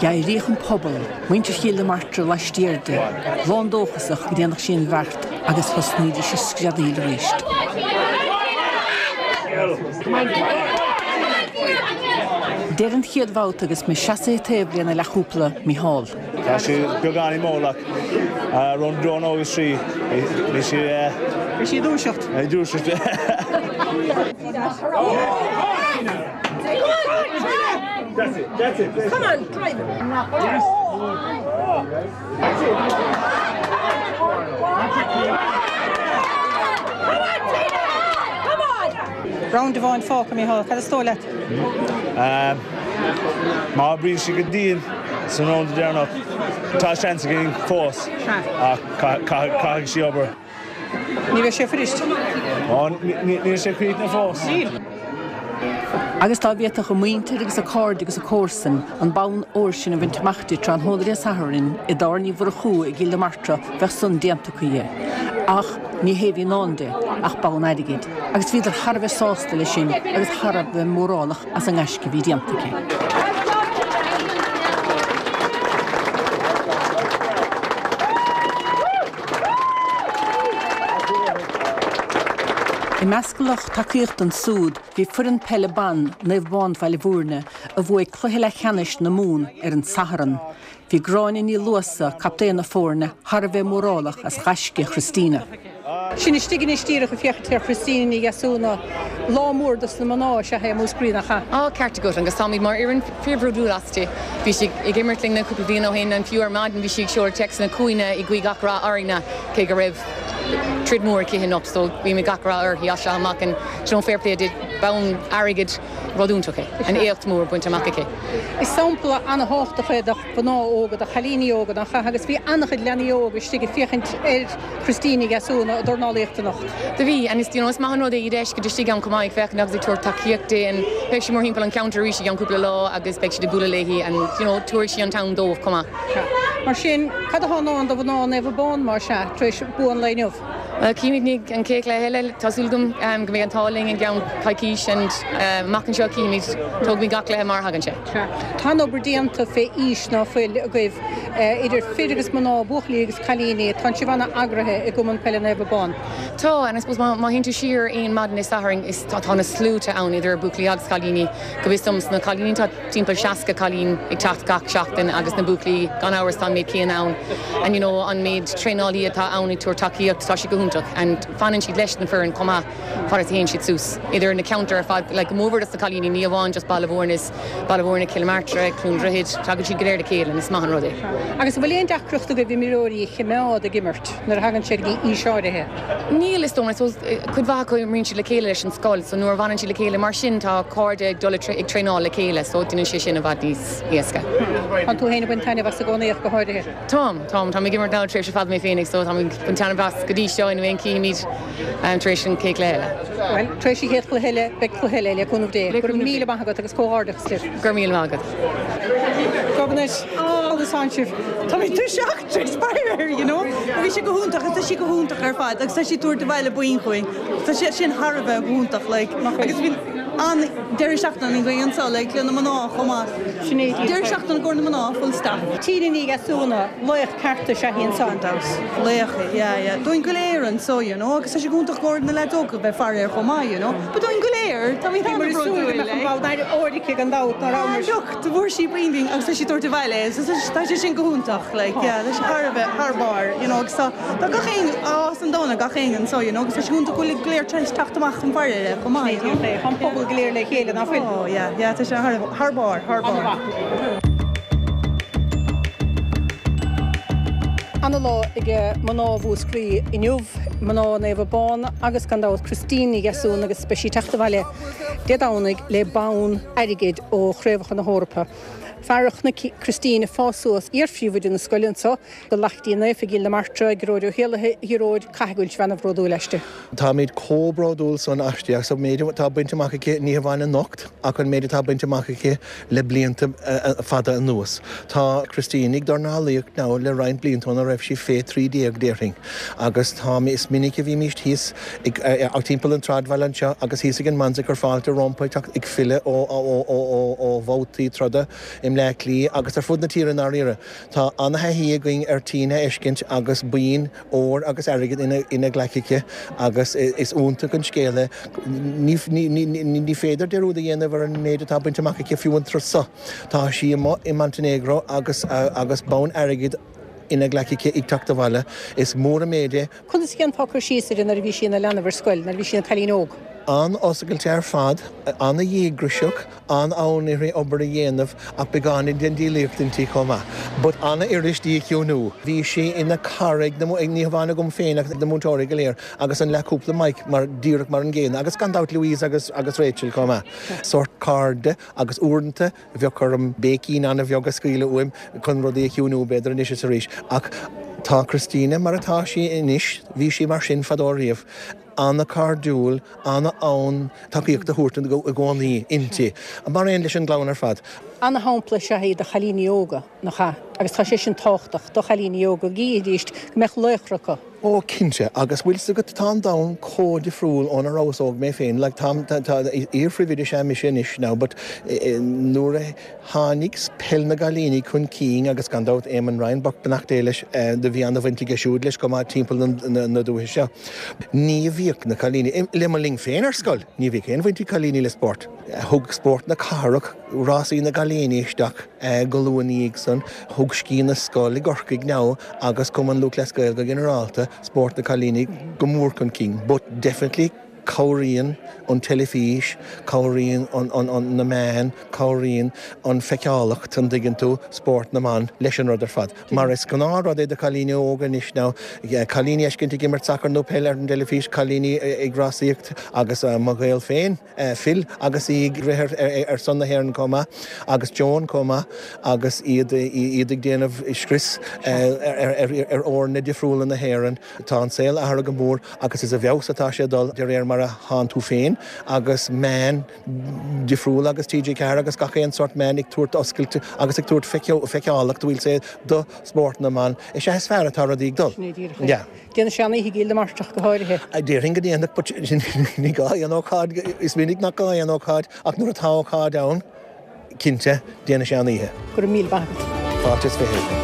d'éiríodh an pobal, muintir Chill na Martra laistiar di, lándóchasach go ndéanfadh sí an bheart agus thosnaídís ag screadaíl arís. Deireadh an chéad bhabhta agus mé seasaithe taobh lena leathchúpla, Micheál. Tá sí beagáinín mall ach rond dó nó agus trí bhí sí Bhí sí ag dúiseacht. ag dúiseacht. Round amháin fágtha, Micheál, cad is dóigh leat? Má oibríonn sí go dian san round deireanach, tá seans againn fós ach caithfidh sí obair. Ní bheidh sé fuirist. Níl sé críochnaithe fós. Níl. Agus dá bhféadfadh a muintir agus a cairde agus a comharsain an bonn óir sin a bhaint amach di tráthnóna Dé Sathairn i dTábhairne Uí Mhurchú i gCill na Martra bheadh san déanta acu dhi. Ach ní hé a bhí i ndán di ach bonn airgid, agus bhíodar thar a bheith sásta leis sin agus thar a bheith mórálach as an ngaisce a bhí déanta aici. I measc lucht tacaíochta ansúd bhí foireann peile ban Naomh Abán Bhaile Mhúirne a bhuaigh cluiche leathcheannais na Mumhan ar an Satharn. Bhí Gráinne Ní Luasa, captaen na foirne, thar a bheith mórálach as gaisce Christina. Sinn istigh anois díreach ag féachaint ar Christina Ní Dheasúna, lá mór dos na mná is ea é i Múscraí, nach ea? Á, ceart agat, agus táimid mar fhoireann fíorbhródúil aisti. Bhí sí ag imirt linne cúpla bliain ó shin, and fiú ar maidin bhí sí ag seoladh téacsanna chugainne ag guí gach rath orainne, cé go raibh troid mór aici anocht, so guímid gach rath uirthi as seo amach and you know, fair play di, bonn airgid, rud iontach é, an éacht mór bainte amach aici. Is sampla an-thábhachtach é do mhná óga, do chailíní óga, nach ea? Agus bhí an-chuid leanaí óga istigh ag féachaint ar Christina Ní Dheasúna ag dornálaíocht anocht. Do bhí, and is, you know, is maith an rud é iad a fheiscint istigh ann chomh maith ag féachaint agus ag tabhairt tacaíocht di and beidh sí mórthimpeall an cheantair arís i gceann cúpla lá agus beidh siad ag bualadh léi and, you know, tabharfaidh sí an t-am dóibh chomh maith. Mar sin, cad atá i ndán do mhná Naomh Abán, más ea, tar éis bua an lae inniu? Well, címid an chéad chluiche eile tá súil agam go mbeidh an t-ádh linn i gceann coicís and amach anseo címid tógfaimid gach cluiche mar a thagann sé. Tá an obair déanta fé aois ná fuil agaibh idir fir agus mná, buachaillí agus cailíní, tá sibh an-eagraithe i gCumann Peile Naomh Abán. Tá and I suppose má théann tú siar aon maidin Dé Sathairn is tá tá na sluaite ann idir buachaillí agus cailíní go bhfios dom sna cailíní tá timpeall seasca cailín ag teacht gach seachtain agus na buachaillí gan amhras tá an méid céanna ann and you know an méid traenálaí atá ann ag tabhairt tacaíocht tá sé go hiontach and fanann siad leis na foireann chomh maith fad is a théann siad suas idir na ceantair ar fad like go mór na cailíní ní amháin just Baile Mhúirne is Baile Mhúirne Cill Martra Cluain Droichid tagann siad go léir le chéile is maith an rud é. Agus bhfuil aon deacracht agaibh imreoirí a choimeád ag imirt nuair a thagann sé go dtí aois áirithe. Níl is dóigh cuid mhaith acu imríonn siad le chéile leis an scoil, so nuair a bhaineann siad le chéile mar sin tá cairde ag dul ag traenáil le chéile, so déanann sé sin i bhfad níos éasca. Tá tú féin ag baint taitneamh as i gcónaí go háirithe. Táim táim tá ag imirt ná tréimhse fad mé féinig, so tá an taitneamh as go dtí seo in aon címid tar éis an chéad chluiche eile. Well, tar éis an chéad chluiche eile beidh cluiche eile le cúnamh Dé. Go raibh míle maith agat agus comhghairdeachas libh. Gur míle maith agat. Gobnait agus sibh Tá mé tuirseach inspired, you know? Bhí sé go hiontach tá sí go hiontach ar fad agus tá sí ag tabhairt abhaile boinn chugainn. Tá sé sin thar a bheith go hiontach like, agus bhí an deireadh seachtaine go anseo le le na mná chomh maith. Deireadh seachtaine go na mná full stop. Tína Ní Dheasúna laoch ceart is ea í ansan. Laoch yeah, yeah. Dúinn go léir anseo, you know, agus tá sé go hiontach go na leaids óga bheith faire ar chomh maith, you know. Ba dúinn go léir tá mé áirice gan dabht ná Look, do bhfuair sí boinn agus tá sí ag tabhairt abhaile, tá sé sin go hiontach like, yeah, tá sé thar a bheith thar barr, you know, agus tá tá gach aon á san dóna gach aon anseo, you know, agus tá sé go hiontach go bhfuil go léir teacht amach an faire le chomh maith. you know. An pobal go léir le chéile ná fuil. Oh, yeah, yeah, tá sé thar thar barr, thar barr. An-lá ag mná Mhúscraí inniu mná Naomh Abán agus gan dabht Christine Ní Dheasún agus beidh sí ag teacht abhaile Dé Domhnaigh le bonn airgid ó Chraobhacha na hEorpa. Fearacht na Christine fás suas iar-phríomhoide na scoile anseo go Lachtaí Naofa Gil na Martra Gearóid Ó hÉalaithe Ghearóid caithfidh go bhfuil an-bhródúil aisti. Táimid chomh bródúil san aisti agus an méid atá bainte amach aici ní hamháin anocht ach an méid atá bainte amach aici le blianta fada anuas. Tá Christine ag dornálaíocht now le roinnt blianta óna raibh sí fé trí déag déarfainn. agus tá is minic a bhímid thíos ag timpeall an tsráidbhaile anseo agus thíos ag an Manse ag cur fáilte roimpi ag filleadh ó bhabhtaí troda i mBleá Cliath agus ar fud na tíre dáiríre. Tá an-taithí againn ar Tina a fheiscint agus boinn óir agus airgid ina ina glaic aici agus is iontach an scéal é ní féidir dearúd a dhéanamh ar an méid atá bainte amach aici fiú an tráth seo. Tá sí i Montenegro agus agus bonn airgid ina glaic aici ag teacht abhaile. Is mór an méid é. Conas a dhéanfá cur síos uirthi nuair a bhí sí ina leanbh ar scoil, nuair a bhí sí ina cailín óg. An-oscailte ar fad, an-dhíograiseach, an-fhonn uirthi obair a dhéanamh ach beagáinín den diabhlaíocht inti chomh maith. But an-fhuirist í a chiúnú. Bhí sí ina cara ag na ní hamháin agam féin ach na múinteoirí go léir agus an leathchúpla Mike mar díreach mar an gcéanna agus gan dabht Louise agus agus Rachel chomh maith. Sórt cairde agus uaireanta bheadh orm béicín an-bheag a scaoileadh uaim chun rudaí a chiúnú b'fhéidir anois is arís. Ach tá Christina mar atá sí anois, bhí sí mar sin fadó riamh. An-chairdiúil, an-fhonn tacaíocht a thabhairt i gcónaí inti. Mar aon leis an gclann ar fad. An-shampla is ea í do chailíní óga nach ea, agus tá sé sin tábhachtach do chailíní óga go gcífidís go mbeadh laochra acu. Ó cinnte, agus bhfuil 's agat tá an domhan chomh difriúil óna rabhas óg mé féin, like tá tá iar-phríomhoide is ea mise anois now but nuair a tháinig peil na gcailíní chun cinn agus gan dabht Eamon Ryan beannacht Dé leis do bhí an-bhaint aige siúd leis go maith timpeall na na dúiche seo. Ní bhíodh na cailíní le mo linn féin ar scoil, ní bhíodh aon bhaint ag cailíní le spórt. Thug spórt na cathrach rásaí na gcailíní isteach go luath ina dhiaidh san, thug Sciath na Scol i gCorcaigh now agus Cumann Lúthchleas Gael go ginearálta spórt na cailíní go mór chun cinn, but definitely cabhraíonn an teilifís, cabhraíonn an, an, an, na meáin, cabhraíonn an feiceálacht an dtuigeann tú spórt na mban leis an rud ar fad. Mar is gnáthrud é do chailíní óga anois now, cailíní a fheiscint ag imirt sacar nó peil ar an dteilifís, cailíní ag rásaíocht agus mo ghaol féin, Phil agus í ag rith ar, ar son na hÉireann chomh maith agus Joan chomh maith agus iad iad ag déanamh scrios ar, ar, ar, ar fhoirne difriúla na hÉireann. Tá an saol athraithe go mór agus is i bhfeabhas atá sé dul de réir mar mar a thánn tú féin agus meáin difriúla agus TG Ceathair agus gach aon sórt meán ag tabhairt oscailte agus ag tabhairt feiceálacht bhfuil sé do spórt na mban. Is ea is fearr atá rudaí ag dul. Sin é díreach é. Yeah. Déanfaidh sé an-oíche i gCill na Martra go háirithe. Déarfainn go ndéanfadh but ní gá aon ócáid, is minic nach gá aon ócáid ach nuair atá ócáid ann, cinnte, déanfaidh sé an oíche. Go raibh míle maith agat. Fáilte is fiche.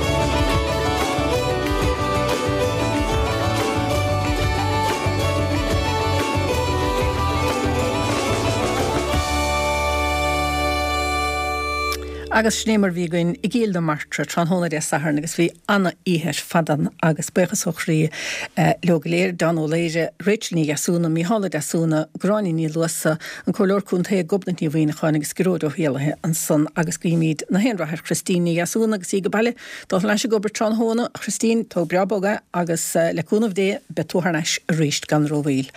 Agus sin é mar bhí againn i gCill na Martra tráthnóna Dé Sathairn agus bhí ana-oíche ar fad ann agus buíochas ó chroí leo go léir, Dan Ó Laoire, Rachel Ní Dheasúna, Mícheál Ó Deasúna, Gráinne Ní Luasa, an Comhairleoir Contae Gobnait Ní Mhuimhneacháin agus Gearóid Ó hÉallaithe ansan agus guímid na haon rath ar Christine Ní Dheasúna agus í ag baile dul thar n-ais ag obair tráthnóna. A Christine, tóg breá bog é agus le cúnamh Dé beidh tú thar n-ais arís gan rómhoill.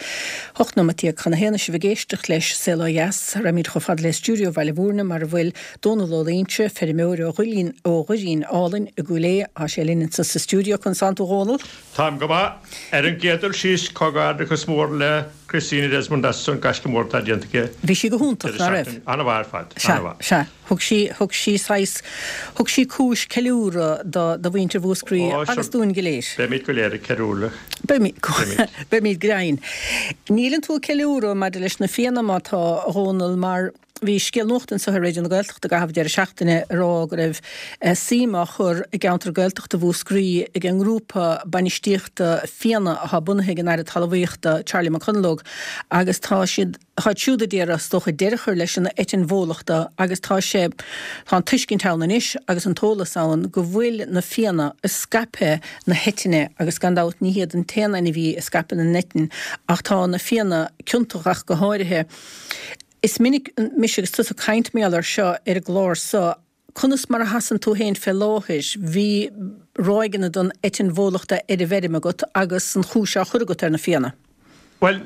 Hocht nóiméad déag chun a haon sibh ag éisteacht leis Saol Ó Dheas. Raghaimid chomh fada le stiúideo Bhaile Mhúirne mar a bhfuil Dónal Ó Loingsigh, feirmeoir ó Dhoirín ó Dhoirín Álainn i gCúil Aodha. Tá sé linn anseo sa stiúideo. Conas tánn tú a Dhónaill? Táim go maith. Ar an gcéad dul síos, comhghairdeachas mór le Christina Desmond as an gaisce mór atá déanta aici. Bhí sí go hiontach, ná raibh? An-mhaith ar fad. Sea, sea. Thug sí, thug sí saghas, thug sí cúis ceiliúradh do, do mhuintir Mhúscraí agus dúinn go léir. Beimid go léir ag ceiliúradh. Beimid, beimid go deimhin. Níleann tú ag ceiliúradh maidir leis na Fianna má tá, a Dhónaill, mar Bhí scéal nuachta anseo ar Raidió na Gaeltachta i gcaitheamh an deireadh seachtaine ag rá go raibh suim á chur i gceantar Gaeltachta Mhúscraí ag an ngrúpa bainistíochta Fianna atá bunaithe ag an Aire Talmhaíochta Charlie McConalogue agus tá siad táid siúd ag iarraidh is dócha deireadh a chur leis an eitinn bhólachta agus tá sé tá an tuiscint ann anois agus an t-eolas ann go bhfuil na Fianna ag scaipeadh na heitinne agus gan dabht ní hiad an t-aon ainmhí a scaipeann an eitinn ach tá na Fianna ciontach ach go háirithe. Is minic mise agus tusa ag caint mar gheall air seo ar an gclár so. Conas mar a sheasann tú féin fé láthair? Bhí ráigeanna den eitinn bhólachta ar an bhfeirm agat agus an chúis á chur agat ar na Fianna. Bhuel,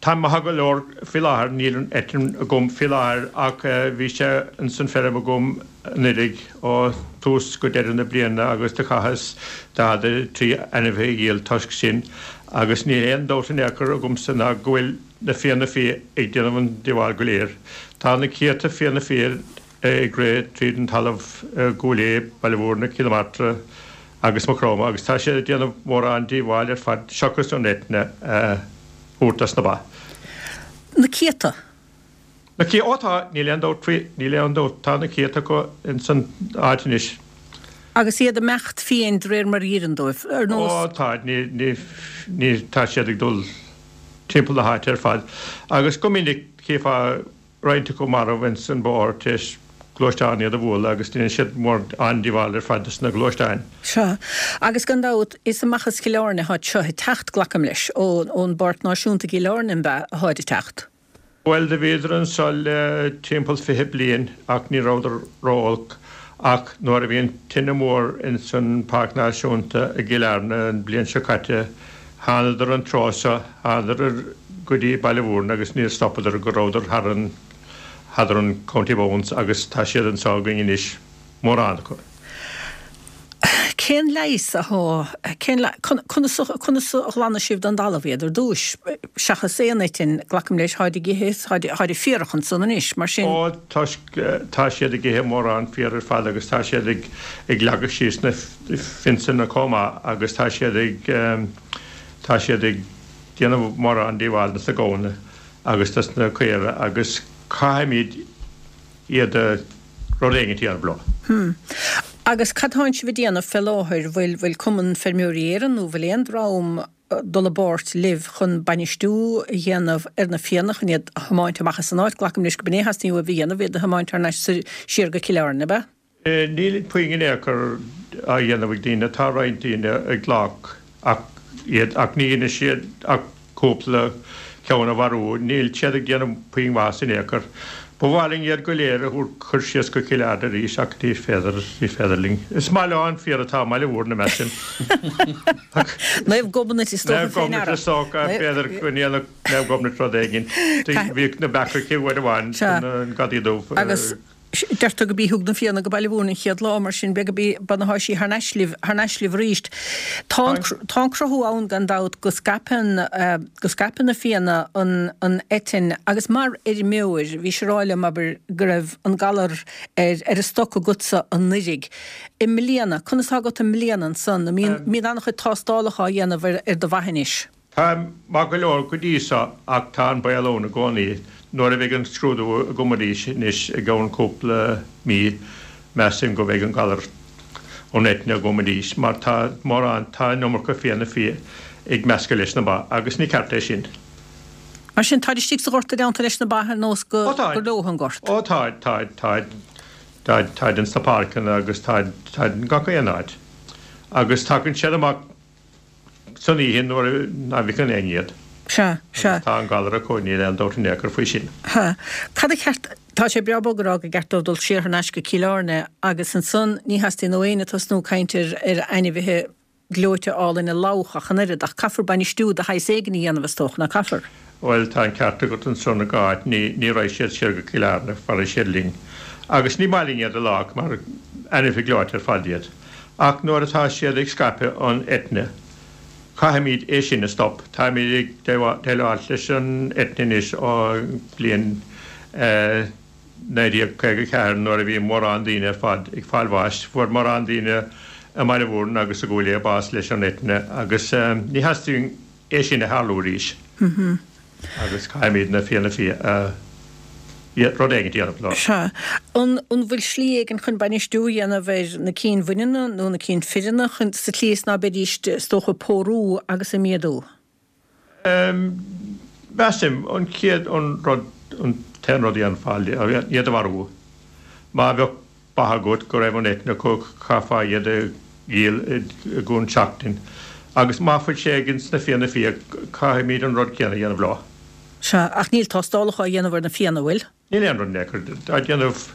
táim maith go leor faoi láthair, níl an eitinn agam faoi láthair ach bhí sé ins an feirm agam anuiridh ó thús go deireadh na bliana agus do chaitheas daichead a trí ainmhithe a dhíol toisc sin agus níl aon dabht in aon chor agamsa ná go bhfuil na fianna fiaigh ag déanamh an díobháil go léir. Tá na céadta fianna fiaigh ag rith tríd an talamh i gCúil Aodha, Baile Mhúirne, Cill na Martra agus Maigh Chromtha agus tá siad ag déanamh mórán díobháil ar fad seachas an eithne a thabhairt dos na ba. Na céadta? Na céadta, ó tá, níl aon dabht faoi, níl aon dabht, tá na céadta acu ins an áit anois. Agus iad ag imeacht fiáin de réir mar a oireann dóibh, ar nós. Ó tá, ní, ní, ní, tá siad ag dul timpeall na háite ar fad agus go minic chífeá roinnt acu marbh ins an bóthar tar éis gluaisteán iad a bhualadh agus déanann siad mórán díobháil ar fad dos na gluaisteáin. Sea. Agus gan dabht, is amach as Cill Airne atá seo ag teacht, glacaim leis, ón bPáirc Náisiúnta i gCill Airne, an ea, atáid ag teacht? Bhuel, do bhíodar anso le timpeall fiche bliain ach ní rabhadar ró-olc ach nuair a bhí an tine mhór ins an Páirc Náisiúnta i gCill Airne an bhliain seo caite, thánadar an treo seo, thánadar go dtí Baile Mhúirne agus níor stopadar go rabhadar thar an, thar an County Bounds agus tá siad anso againn anois, mórán acu. Cén leigheas athá, cén le, conas a, conas a ghlanadh sibh den dtalamh iad ar dtúis, seachas aon eitinn, glacaim leis, tháid ag ithe, tháid, tháid ag féarach ansan anois, mar sin. Ó, toisc, tá siad ag ithe mórán féar ar fad agus tá siad ag, ag leagadh síos na fionsanna chomh maith agus tá siad ag, tá siad ag déanamh mórán díobháil dos na gamhna agus dos na caora agus caithfimid iad a rud éigin a dhéanamh leo. Hm. Agus cad tánn sibh ag déanamh fé láthair? Bhfuil, bhfuil Cumann Feirmeoirí Éireann nó bhfuil aon dream dul i bpáirt libh chun bainistiú a dhéanamh ar na fianna chun iad a thiomáint amach as an áit? Glacaim leis go b'in é a theastaíonn uaibh a dhéanamh, iad a thiomáint thar n-ais siar go Cill Airne, ab ea? Níl puinn in aon chor á dhéanamh ag daoine. Tá roinnt daoine ag glac ach iad ach ní dhéanann siad ach cúpla ceann a mharú. Níl siad ag déanamh puinn maitheas in aon chor. Ba mhaith linn iad go léir a thabhairt chur síos go Cill Airne arís ach ní féidir, ní féidir linn. Is maith leo an féar atá i mBaile Mhúirne, measaim. Naomh Gobnait is dócha Naomh Gobnait is dócha, b'fhéidir go ndéanfadh Naomh Gobnait rud éigin. Bhíodh na beacha aici uair amháin, an Gadaí Dubh. Agus Deirtear go b'í thug na Fianna go Baile Mhúirne an chéad lá, mar sin b'fhéidir go b'í ba na sí thar n-ais libh, thar n-ais libh arís. Tá an, tá an cruthú ann gan dabht go scaipeann, go scaipeann na Fianna an, an eitinn agus mar fheirmeoir, bhís ag rá liom, abair, go raibh an galar ar, ar an stoc agatsa anuiridh. I mbliana, conas tá agat i mbliana ansan? An mbíonn, mbíonn an-chuid tástálacha á dhéanamh ar, ar do bha anois? Tá maith go leor go dtí seo ach tá an baol ann i gcónaí. Nuair a bheidh an scrúdú agam arís anois i gceann cúpla mí, measaim go mbeidh an galar ón eitinne agam arís mar tá mórán, tá an iomarca fianna fia ag meascadh leis na ba agus ní ceart é sin. Mar sin, táid istigh sa ghort i dteannta leis na ba ar nós go Ó táid. gur leo an gort. Ó táid, táid, táid, táid, táid ins na páirceanna agus táid, táid in gach aon áit. Agus tagann siad amach san oíche nuair ná bhfeiceann éinne iad. Sea, sea. Agus tá an galar acu, níl aon dabht in aon chor faoi sin. Ha. Cad a cheart, tá sé breá bog a rá go gceart dóibh dul siar thar n-ais go Cill Airne agus ansan ní theastaíonn ó éinne tosnú ag caint ar ar ainmhithe gleoite álainne lách ach an oiread, ach caithfear bainistiú de shaghas éigin a dhéanamh is dócha, ná caithfear? Bhuel, tá an ceart agat ansan a Cháit, ní ní raghaidh siad siar go Cill Airne, fanfaidh siad linn. Agus ní maith linn iad a lách mar ainmhithe gleoite ar fad iad. Ach nuair atá siad ag scaipeadh an eitinne, caithfimid é sin a stop. Táimid ag déileáil leis an eitinne anois ó bhliain naoi déag caoga a ceathair nuair a bhí mórán daoine ar fad ag fáil bháis. Fuair mórán daoine i mBaile Mhúirne agus i gCúil Aodha bás leis an eitinne agus ní theastaíonn é sin a tharlú arís agus caithfimid na Fianna Fia a rud éigin a dhéanamh leo. Sea. An an bhfuil slí éigin chun bainistiú a dhéanamh ar na cinn bhaineanna nó na cinn fireanna chun sa tslí is ná beidís is dócha ag pórú agus ag méadú? Measaim, an chéad, an rud, an t-aon rud a dhéanfá, iad a mharú. Má bheadh ba agat go raibh an eitinn acu, chaithfeá iad a dhíol i gceann seachtain. Agus má fuil sé ag ins na Fianna Fia, caithfimid an rud céanna a dhéanamh leo. Sea, ach níl tástálacha á dhéanamh ar na Fianna, bhfuil? Níl aon rud in aon chor á dhéanamh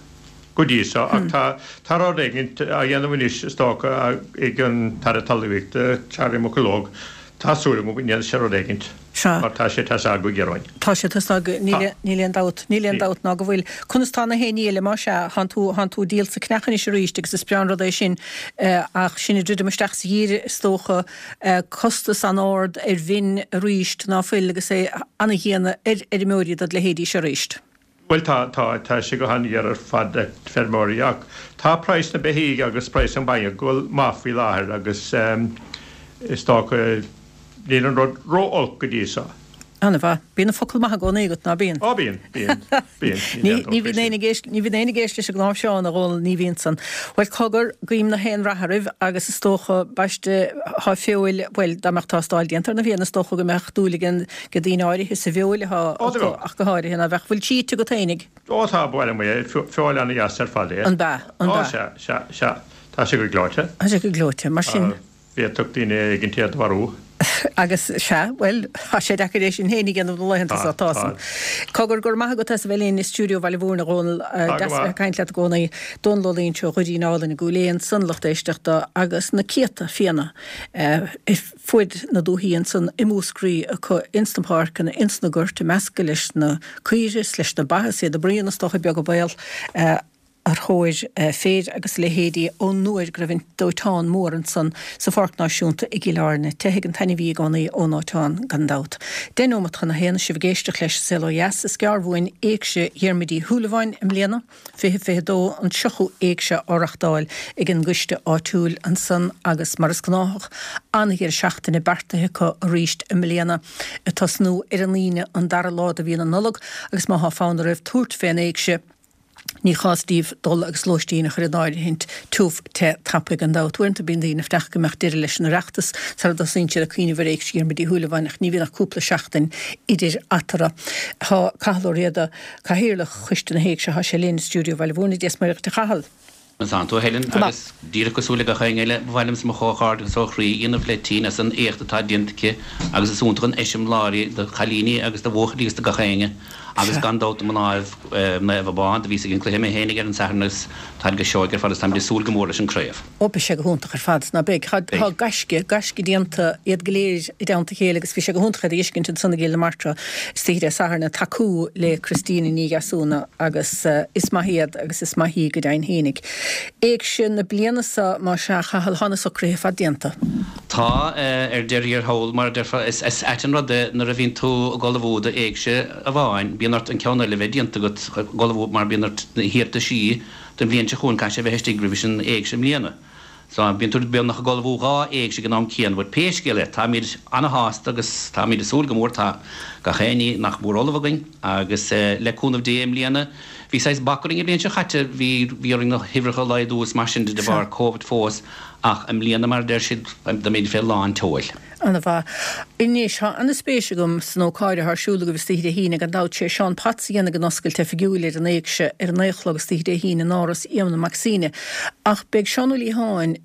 go dtí seo, ach tá tá rud éigin á dhéanamh anois, is dócha, ag an tAire Talmhaíochta, Charlie McConalogue. Tá súil agam go ndéanfaidh sé rud éigin, mar tá sé ag teastáil go géar uainn. Tá sé ag teastáil go, níl níl aon dabht, níl aon dabht ná go bhfuil. Conas tá na héinní eile, más ea, thánn tú, thánn tú ag díol sa cneach anois arís agus is breá an rud é sin, ach sinn ag druidim isteach sa gheimhreadh is dócha, costas an-ard ar mhin arís ná fuil agus é an-dhian ar fheirmeoirí dod leithéidí seo arís. Bhuel tá, tá, tá sé go han-ghéar ar fad ag feirmeoirí ach tá praghas na beithígh agus praghas an bhainne ag dul maith faoi láthair agus is dócha níl an rud ró-olc go dtí seo. An-mhaith. Bíonn an focal maith i gcónaí agat, ná bíonn? Ó bíonn, bíonn, bíonn, níl aon dabht Ní faoi bhíonn sin. éinne ag éist, ní bhíonn éinne ag éist leis an gcnámh Seán, a Dhónaill, ní bhíonn san. Bhuel, cogar, guím na haon rath oraibh agus is dócha, baiste, thá feoil, bhuel, dá mbeadh tástáil déanta ar na Fianna, is dócha go mbeadh dúil ag an, ag daoine áirithe sa bhfeoil athá Ó, do acu bheadh. ach go háirithe, ná bheadh. Bhfuil sí ite agat fhéinig? Ó tá, ba mhaith liom é, feoil ana-dheas ar fad é. An b'ea, an Ó b'ea. sea, sea, sea, tá sé go gleoite. Tá sé go gleoite, mar sin. Bhféadfadh daoine éigin iad a mharú. Agus sea, bhuel, tá sé deacair é sin féin a dhéanamh na laethanta Tá, seo, tá tá. san. Cogar, go raibh maith agat as a bheith linn i stiúideo Bhaile Mhúirne, a Dhónaill. Tá go Deas a bheith maith. ag caint leat i gcónaí. Dónal Ó Loingsigh ó Dhoirín Álainn i gCúil Aodha ansan, lucht éisteachta agus na céadta fianna ar fuaid na dúthaí ansan i Múscraí acu ins na páirceanna, ins na goirt, ag meascadh leis na caoirigh is leis na ba is iad ag bruíon is dócha beag an baol. Ar thóir féir agus a leithéidí ón uair go raibh an dóiteán mór ansan sa Pháirc Náisiúnta i gCill Airne. Teithfidh an t-ainmhí i gcónaí ón ndóiteán, gan dabht. Deich nóimeat chun a haon, sibh ag éisteacht leis An Saol Ó Dheas. Is gearr uainn Éigse Dhiarmuid Uí Shúilleabháin i mbliana, fiche fiche dó, an tríochú Éigse á reachtáil ag an gcoiste áitiúil ansan agus mar is gnáthach, an-dheireadh seachtaine beartaithe acu arís i mbliana, ag tosnú ar an Aoine an dara lá de mhí na Nollag agus má thá fonn oraibh tabhairt fén Éigse, Ní chás daoibh dul agus lóistín a chur in áirithint tiubh te tapaidh gan dabht. Uaireanta bíonn daoine ag fanacht go mbeadh deireadh leis an Oireachtas sara dtosaíonn siad ag cuimhneamh ar Éigse Dhiarmuid Uí Shúilleabháin ach ní bhíonn ach cúpla seachtain idir eatarthu. Tá Cathal Ó Riada, Cathaoirleach Choiste na hÉigse, thá sé linn i stiúideo Bhaile Mhúirne. Dia is Muire dhuit a Chathail. Conas tánn tú, a Helen, Go maith. Agus díreach cosúil le gach éinne eile, ba mhaith liomsa mo chomhghairdeachas ó chroí a dhéanamh le Tine as an éacht atá déanta aici agus is iontach an eiseamláir í do chailíní agus do bhuachaillí agus do gach éinne. Agus gan dabht mná Naomh Abán, do bhíos ag an cluiche mé fhéinig ar an Satharn agus táid go seoigh ar fad agus táimid ag súil go mór leis an craobh. Ó beidh sé go hiontach ar fad, ná beidh? Tá gaisce, gaisce déanta, iad go léir i dteannta a chéile agus bhí sé go hiontach iad a fheiscint ansan i gCill na Martra istoíche Dé Sathairn ag tacú le Christina Ní Dheasúna agus is maith iad agus is maith í go deimhin fhéinig. Éigse na bliana seo más ea, a Chathail, tá na socruithe ar fad déanta. Tá, ar deireadh thiar thall, mar a déarfá, is ait an rud é nuair a bhíonn tú ag ullmhú d'éigse amháin, bíonn ort an ceann eile a bheith déanta agat, ag ullmhú mar bíonn ort na hiarrataisí don bhliain seo chugainn, caithfidh sé a bheith istigh roimh an éigse i mbliana. So, bíonn tú beagnach ag ullmhú dhá éigse ag an am céanna, but pé scéal é, táimid ana-shásta agus táimid ag súil go mór, tá gach aon ní nach mór ullamh againn agus le cúnamh Dé i mbliana, bhí saghas bac orainn an bhliain seo chaite, bhí, bhí orainn na huimhreacha a laghdú is mar sin de de bharr Covid fós, Ach i mbliana, mar a deir siad, táimid fé lán tseoil. Ana-mhaith. Anois, tá ana-spéis agam san ócáid atá ar siúl agaibh istoíche Dé hAoine, gan dabht. Sé Seán Potts a dhéanfaidh an oscailt oifigiúil ar an Éigse ar a naoi a chlog istoíche Dé hAoine in Áras Éamonn Mac Suibhne. Ach beidh Seán Ó Liatháin,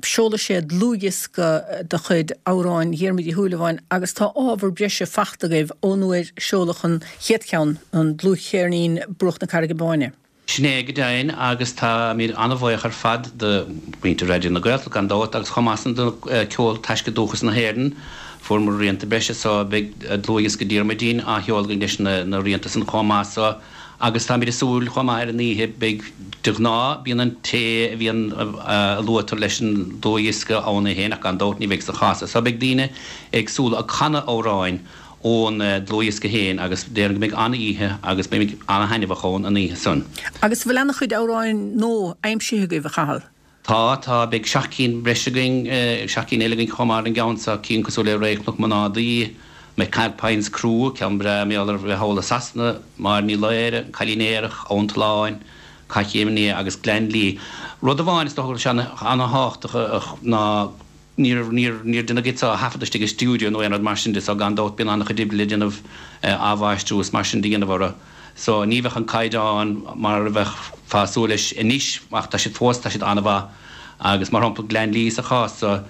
seolfaidh sé dlúthdhiosca de chuid amhráin Dhiarmuid Uí Shúilleabháin agus tá ábhar breise fachta agaibh ón uair a seoladh an chéad cheann, an dlúthcheirnín Bruach na Carraige Báine. Sin é go deimhin agus táimid an-bhuíoch ar fad do mhuintir Raidió na Gaeltachta gan dabht agus chomh maith san do Ceol Taisce Dúchas na hÉireann. Fuaireamar rianta breise so beidh dlúthdhiosca Diarmuidín á sheoladh againn leis na rianta san chomh maith so agus táimid ag súil chomh maith ar an oíche beidh de ghnáth bíonn an té a bhíonn a luaitear leis an dlúthdhiosca ann é féin ach gan dabht ní bheidh sa chás so beidh daoine éagsúla ag canadh amhráin ón dlúthdhiosca féin agus déarfainn go mbeidh an-oíche agus beimid an-thaitneamhach ann an oíche san. Agus an bhfuil ana-chuid amhráin nua aimsithe agaibh, a Chathail? Tá, tá. Beidh seacht cinn breise againn, seacht gcinn eile againn chomh maith ar an gceann seo, cinn cosúil le Ré Chnoc Mná Daoi, McAlpine's Crew, ceann breá mar gheall ar bheith thall i Sasana, Máire Ní Laoire, An Cailín Aerach, Abhainn Tolláin, Cath Chéim an Fhia agus Gleann Lí. Rud amháin is dócha go bhfuil sé an-thábhachtach ná, Níor, níor, níor deineadh iad seo a thaifeadadh istigh i stiúideo nó aon rud mar sin de so gan dabht bíonn an-chuid oibre le déanamh, athmháistriú is mar sin de dhéanamh orthu. So ní bheadh an caighdeán mar a bheifeá ag súil leis anois ach tá siad fós, tá siad an-mhaith agus mar shampla Gleann Lí sa chás so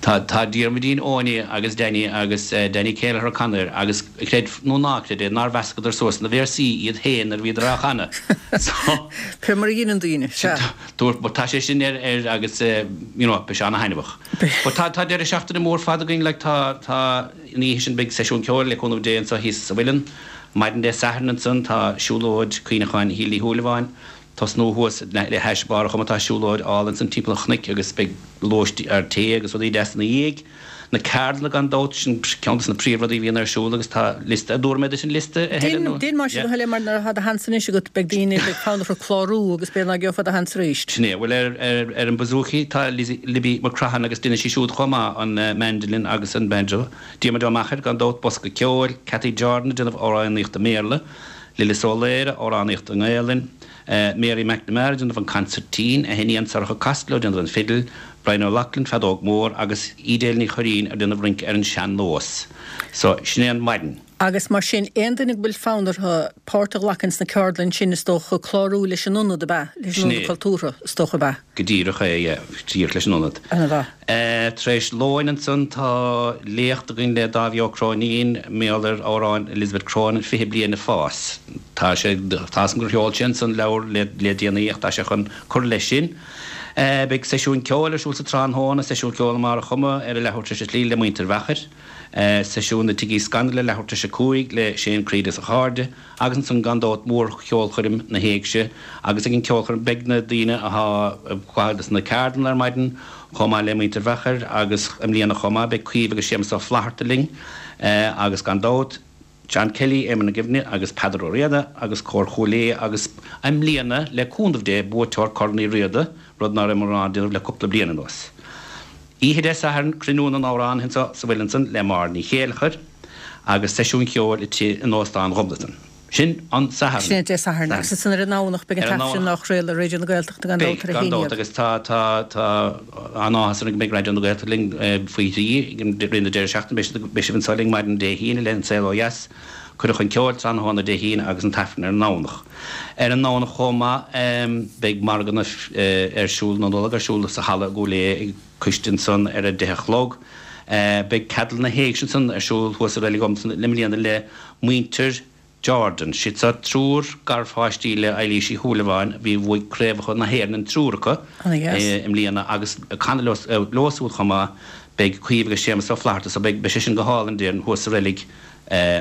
tá, tá Diarmuidín, Owenie agus Danny agus Danny Kelleher ag canadh air agus creid nó ná creid é nár mheascadar suas na véarsaí iad féin nuair a bhíodar á chanadh. So. Pé mar a dheineann daoine, sea. Dúirt, but tá sé sin ar, ar agus you know, beidh sé ana-thaitneamhach. But tá, tá deireadh seachtaine mór fada againn, like tá, tá, an oíche sin beidh seisiún ceoil le cúnamh Dé anseo thíos sa Mhuileann. Maidin Dé Sathairn ansan tá siúlóid cuimhneacháin Shíle Uí Shúilleabháin, tosnú thuas le hais Barr an Choma tá siúlóid álainn ansan timpeall an chnoic agus beidh lóistín, tae agus rudaí deasa ina dhiaidh. Na ceardlanna gan dabht, sin ceann de na príomhrudaí a bhíonn ar siúl agus tá liosta, an dtabharfaidh mé duit an liosta a Helen nó? Déan mar sin a Helen mar nuair atá do sheans anois agat beidh daoine, beidh fonn orthu clárú agus b'fhéidir ná geofá do sheans arís. Sin é, bhuel ar, ar, ar an bouzouki tá Lizzie, Libby McCrohan agus déanann sí siúd chomh maith an mandolin agus an banjo. Diarmuid Ó Meachair gan dabht, bosca ceoil, Cathy Jordan ag déanamh amhránaíocht i mBéarla, Lillis Ó Laoire, amhránaíocht i nGaelainn, Mary McNamara ag déanamh an consairtín, a hiníon Sorcha Costello ag déanamh an fidil, Brian O'Loughlin, feadóg mhór, agus Edel Ní Churraoin ag déanamh rince ar an sean-nós. So, sin é an mhaidin. Agus mar sin, aon duine go bhfuil fonn orthu páirt a ghlacadh ins na ceardlann sin, is dócha, clárú leis an Ionad, ab ea? Leis an Ionad Cultúrtha, is dócha, ab ea? Go díreach é, yeah, díreach leis an Ionad. Ana-mhaith. Tar éis lóin ansan tá léacht againn le Dáibhí Ó Cróinín, mar gheall ar amhráin Elizabeth Cronin, Fiche Bliain ag Fás. Tá sé, tá 'fhios a'm gur sheol sé ansan leabhar le le déanaí ach tá sé chun cur leis sin. Beidh seisiún ceoil ar siúl sa tráthnóna, seisiún ceoil i mBarr a' Choma ar a leathuair tar éis a trí le muintir Mheachair, seisiún i Tigh Uí Scanaill ar leathuair tar éis a cúig le Shane Creed is a chairde agus ansan gan dabht mór-cheolchoirm na hÉigse agus ag an ceolchoirm beidh na daoine athá ag gabháil dos na ceardlanna ar maidin chomh maith le muintir Mheachair agus i mbliana chomh maith beidh Caoimhe agus Séamus Ó Flatharta linn agus gan dabht John Kelly, Éamonn Mac Suibhne agus Peadar Ó Riada agus Cór Chúil Aodha agus i mbliana, le cúnamh Dé, buaiteoir Corn Uí Riada, rud ná raibh in ann déanamh le cúpla bliain anuas. Oíche Dé Sathairn, Cruinniú na nAmhránaithe anseo sa Mhuileann ansan le Máire Ní Chéilleachair agus seisiún ceoil i tigh in Óstán Dhumblatan. Sin an Satharn. Sin é Dé Sathairn. Agus ansan ar an nDomhnach beidh an t-aifreann á chraoladh ar Raidió na Gaeltachta gan dabht ar a Beidh, gan haon dabht, déag. agus tá, tá, tá an-áthas orainn go mbeidh Raidió na Gaeltachta linn faoi thrí i rith na deireadh seachtaine. Beidh siad, beidh sibh anseo linn maidin Dé hAoine le An Saol Ó Dheas, cuireadh chun ceoil tráthnóna Dé hAoine agus an t-aifreann ar an nDomhnach. Ar an nDomhnach chomh maith beidh margadh na, ar siúl, na Nollag ar siúl sa halla i gCúil Aodha ag coiste ansan ar a deich a chlog. Beidh ceardlann na hÉigse ansan ar siúl thuas i Reilig Dhumhdann i mbliana le muintir, Jordan. Siad seo triúr garpháistí le Eilís Uí Shúilleabháin a bhí bhuaigh craobhacha na hÉireann an triúr acu i mbliana agus ag canadh leo siúd chomh maith beidh Caoimhe agus Séamus Ó Flatharta so beidh sé sin go hálainn déarfainn thuas sa reilig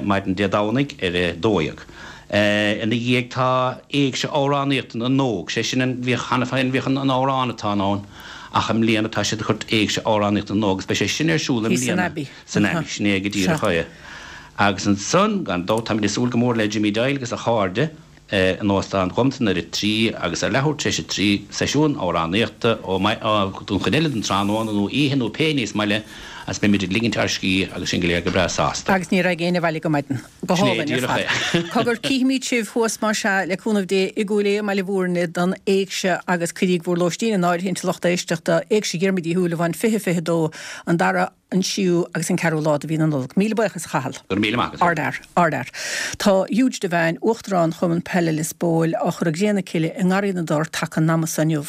maidin Dé Domhnaigh ar a dó dhéag. Ina dhiaidh tá Éigse Amhránaíochta na nÓg, sé sin an bhíodh cheana féin bhíodh an amhránatón ann ach i mbliana tá siad ag cur Éigse Amhránaíochta na nÓg agus beidh sé sin ar siúl i mbliana san Abbey, sin é go díreach é. Agus ansan, gan dabht, táimid ag súil go mór le Jimmy Doyle agus a chairde in Óstán Dhomtan ar a trí agus ar leathuair tar éis a trí, seisiún amhránaíochta ó don chuid eile den tráthnóna nó oíche nó pé ní is maith le agus beimid ag ligint ár scíth agus sinn go léir go breá sásta. Agus ní raghaidh éinne abhaile go maidin. Go Sin é hálainn ar díreach fad. é. Cogar, cífimid sibh thuas más ea, le cúnamh Dé, i gCúil Aodha i mBaile Mhúirne don Éigse agus cuiríg bhur lóistín in áirithint a lucht éisteachta, Éigse Dhiarmuid Uí Shúilleabháin fiche fiche dó, an dara, an séú agus an ceathrú lá de mhí na Nollag. Míle buíochas, a Chathail. Go raibh míle maith agat. Ardfhear. Ardfhear. Tá Huge Devane, Uachtarán Chumann Peile Lios Póil, á chur ag cré na cille i nGarraí na dTor taca an ama so inniu.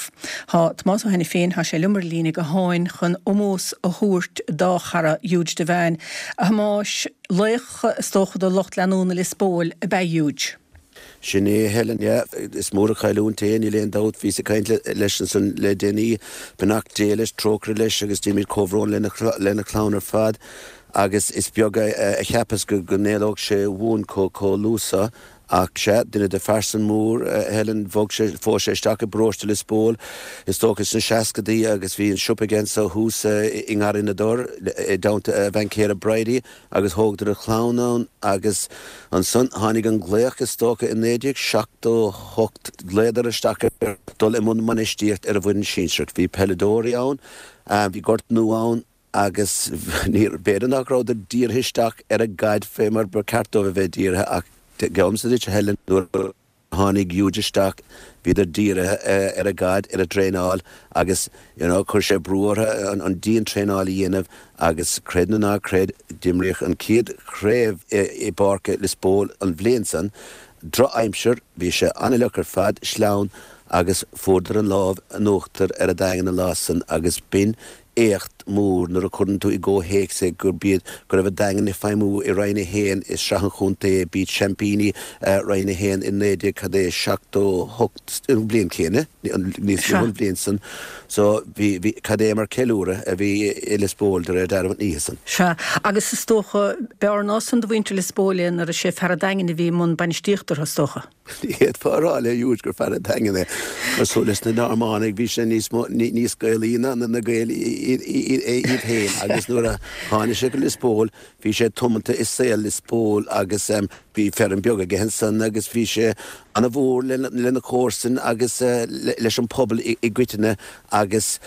Tá Tomás Ó hAiniféin, tá sé liom ar líne gutháin chun ómós a thabhairt dá chara Huge Devane. A Thomáis, laoch is dócha do lucht leanúna Lios Póil ab ea Huge. Sin é, Helen, yeah. Is mór an chailliúint é, níl aon dabht. Bhíos ag caint leis ansan le déanaí. Beannacht Dé leis, trócaire leis agus déanaimid comhbhrón lena chlann ar fad. Agus is beag a cheapas go n-éalódh sé uainn chomh luath so. Ach sea, duine de phearsan mór, Helen, bhog sé, phós sé isteach i bparóiste Lios Póil, is dócha sna seascadaí agus bhí an siopa aige anso thuas i nGarraí na dTor i dteannta a bhean chéile Bridie agus thógadar a chlann ann agus ansan tháinig an glaoch is dócha i naoi déag seachtó hocht, ghlaodar isteach air dul i mbun bainistíocht ar an bhfoireann sinsearach. Bhí peileadóirí ann, bhí gort nua ann agus níor, b'fhéidir nach rabhadar dírithe isteach ar an gcaid fé mar ba cheart dóibh a bheith dírithe ach Geallaimse duit, a Helen, nuair a tháinig Huge isteach, bhíodar dírithe ar an gcaid, ar an dtraenáil agus, you know, chuir sé brú orthu an dian-traenáil a dhéanamh agus, creid nó ná creid, d'imríodh an chéad chraobh i bPáirc Lios Póil an bhliain san. Drochaimsir, bhí sé an-fhliuch ar fad, sleamhain agus fuaireadar an lámh in uachtar ar an Daingean an lá san agus b'in éacht mór nuair a chuireann tú i gcomhthéacs é gurb iad, go raibh an Daingean ag feidhmiú i Roinn a haon i Sraith an Chontae, b'iad seaimpíní Roinn a haon i naoi déag cad é seachtó hocht, an bhliain chéanna, níos luaithe an bhliain san. So bhí, bhí, cad é mar ceiliúradh a bhí i Lios Póil de réir dealraimh an oíche san. Sea, agus is dócha, b'fhearr ná san do mhuintir Lios Póil é nuair is é fear an Daingin a bhí i mbun bainistíochta orthu, is dócha. Ní fhéadfá a rá le Huge gur fear an Daingin é. Cosúil leis na Normánaigh, bhí sé níos mó, níos Gaelaí ná na Gaeil iad féin agus nuair a tháinig sé go Lios Póil, bhí sé tiomanta i saol Lios Póil agus bhí feirm beag aige ansan agus bhí sé ana-mhór lena chomharsain agus leis an pobal i gcoitinne agus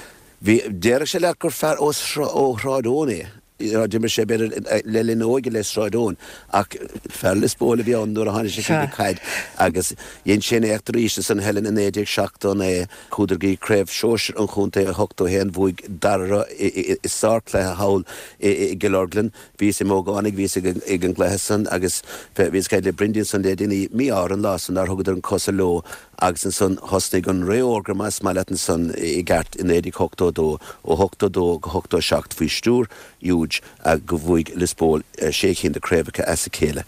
bhí, déarfadh sé leat gur fear ó Shráid Eoin é. D'imir sé b'fhéidir le linn a óige le Sráid Eoin ach fear Lios Póil a bhí ann nuair a tháinig sé chuig an gcaid agus dhein sé an éacht arís ansan Helen i naoi déag seachtó naoi. Chuadar go dtí Craobh Shóisir an Chontae i ochtó haon, bhuaigh Darragh orthu i sárchluiche thall i gCill Orglan. Bhíos i m'ógánach, bhíos ag an gcluiche san agus bhíos ag caint le Brindy ansan le déanaí, mí-ádh orthu an lá san nár thugadar an cosa leo agus ansan thosnaigh an ré órga más maith leat ansan i gceart i naoi déag ochtó dó, ó ochtó dó go hochtó seacht faoi stiúir Huge go bhuaigh Lios Póil sé cinn de craobhacha as a chéile.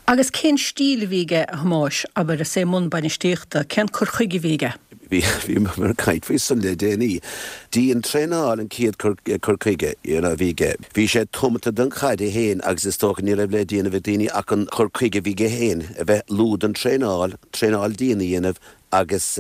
Agus cén stíl a bhí aige, a Thomáis, abair, is é i mbun bainistíochta, cén cur chuige a bhí aige? Bhí, bhíomar ag caint faoi san le déanaí. Dian-traenáil an chéad cur, cur chuige, you know, a bhí aige. Bhí sé tiomanta don chaid é féin agus is dócha ní raibh le déanamh ag daoine ach an cur chuige a bhí aige féin, a bheith dlúth don traenáil, traenáil dian a dhéanamh agus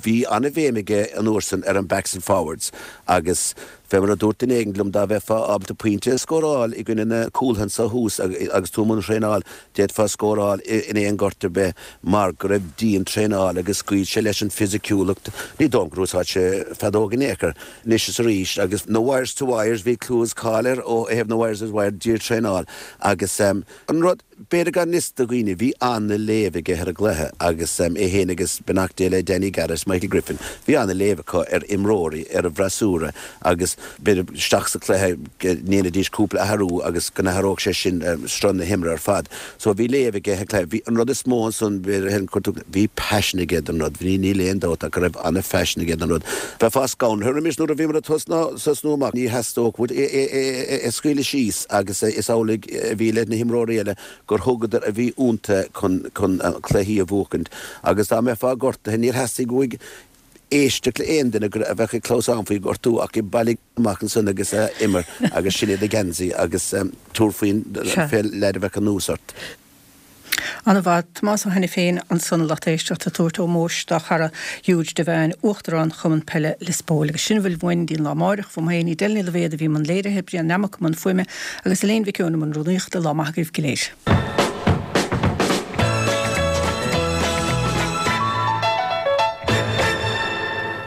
bhí an-bhéim aige an uair san ar an backs and forwards agus fé mar a dúirt duine éigin liom dá mbeifeá ábalta pointe a scóráil i gcoinne na cúlaithe anso thuas agus tú i mbun traenáil d'fhéadfá scóráil in aon ghort ar bith mar go raibh dian-traenáil agus scaoil sé leis an fisiciúlacht ní dóigh liom gur úsáid sé feadóg in aon chor anois is arís agus na wires to wires bhí clú is cáil air ó thaobh na wires to wire dian-traenáil agus an rud B'fhéidir gan fhios do dhaoine, bhí an-léamh aige ar an gcluiche agus é féin agus, beannacht Dé le Danny Garrett, Michael Griffin, bhí an-léamh acu ar imreoirí, ar an bhfreasúra agus b'fhéidir isteach sa chluiche go ndéanfaidís cúpla athrú agus go n-athródh sé sin sruth na himeartha ar fad. So bhí léamh aige ar an chluiche. Bhí, an rud is mó ansan, b'fhéidir, chuir tú, bhí paisean aige don rud. Bhí, níl aon dabht ach go raibh an-phaisean aige don rud. Bheifeá scanraithe roimis nuair a bhíomar ag tosnú amach, ní theastódh uait é a scaoileadh síos agus is amhlaidh a bhí le na himreoirí eile gur thugadar a bhí iontu chun chun cluichí a bhuachaint agus dá mbeifeá gortaithe níor theastaigh uaidh éisteacht le aon duine a bheadh ag clamhsán faoi ghortú ach bailigh amach ansan agus imir agus sin é do gheansaí agus tabhair faoin fé leaid a bheadh anuas ort. An-mhaith. Tomás Ó hAiniféin ansan lucht éisteachta ag tabhairt ómóis dá chara Huge Devane, Uachtarán Chumann Peile Lios Póil. Agus sin a bhfuil uainn go dtí an lá amáireach. Uaim féin, Edel Ní Loibhéad a bhí i mbun léirithe, Brian Nammock i mbun fuaime agus Elaine Mhic Eoin i mbun rúnaíochta. Lá maith agaibh go léir.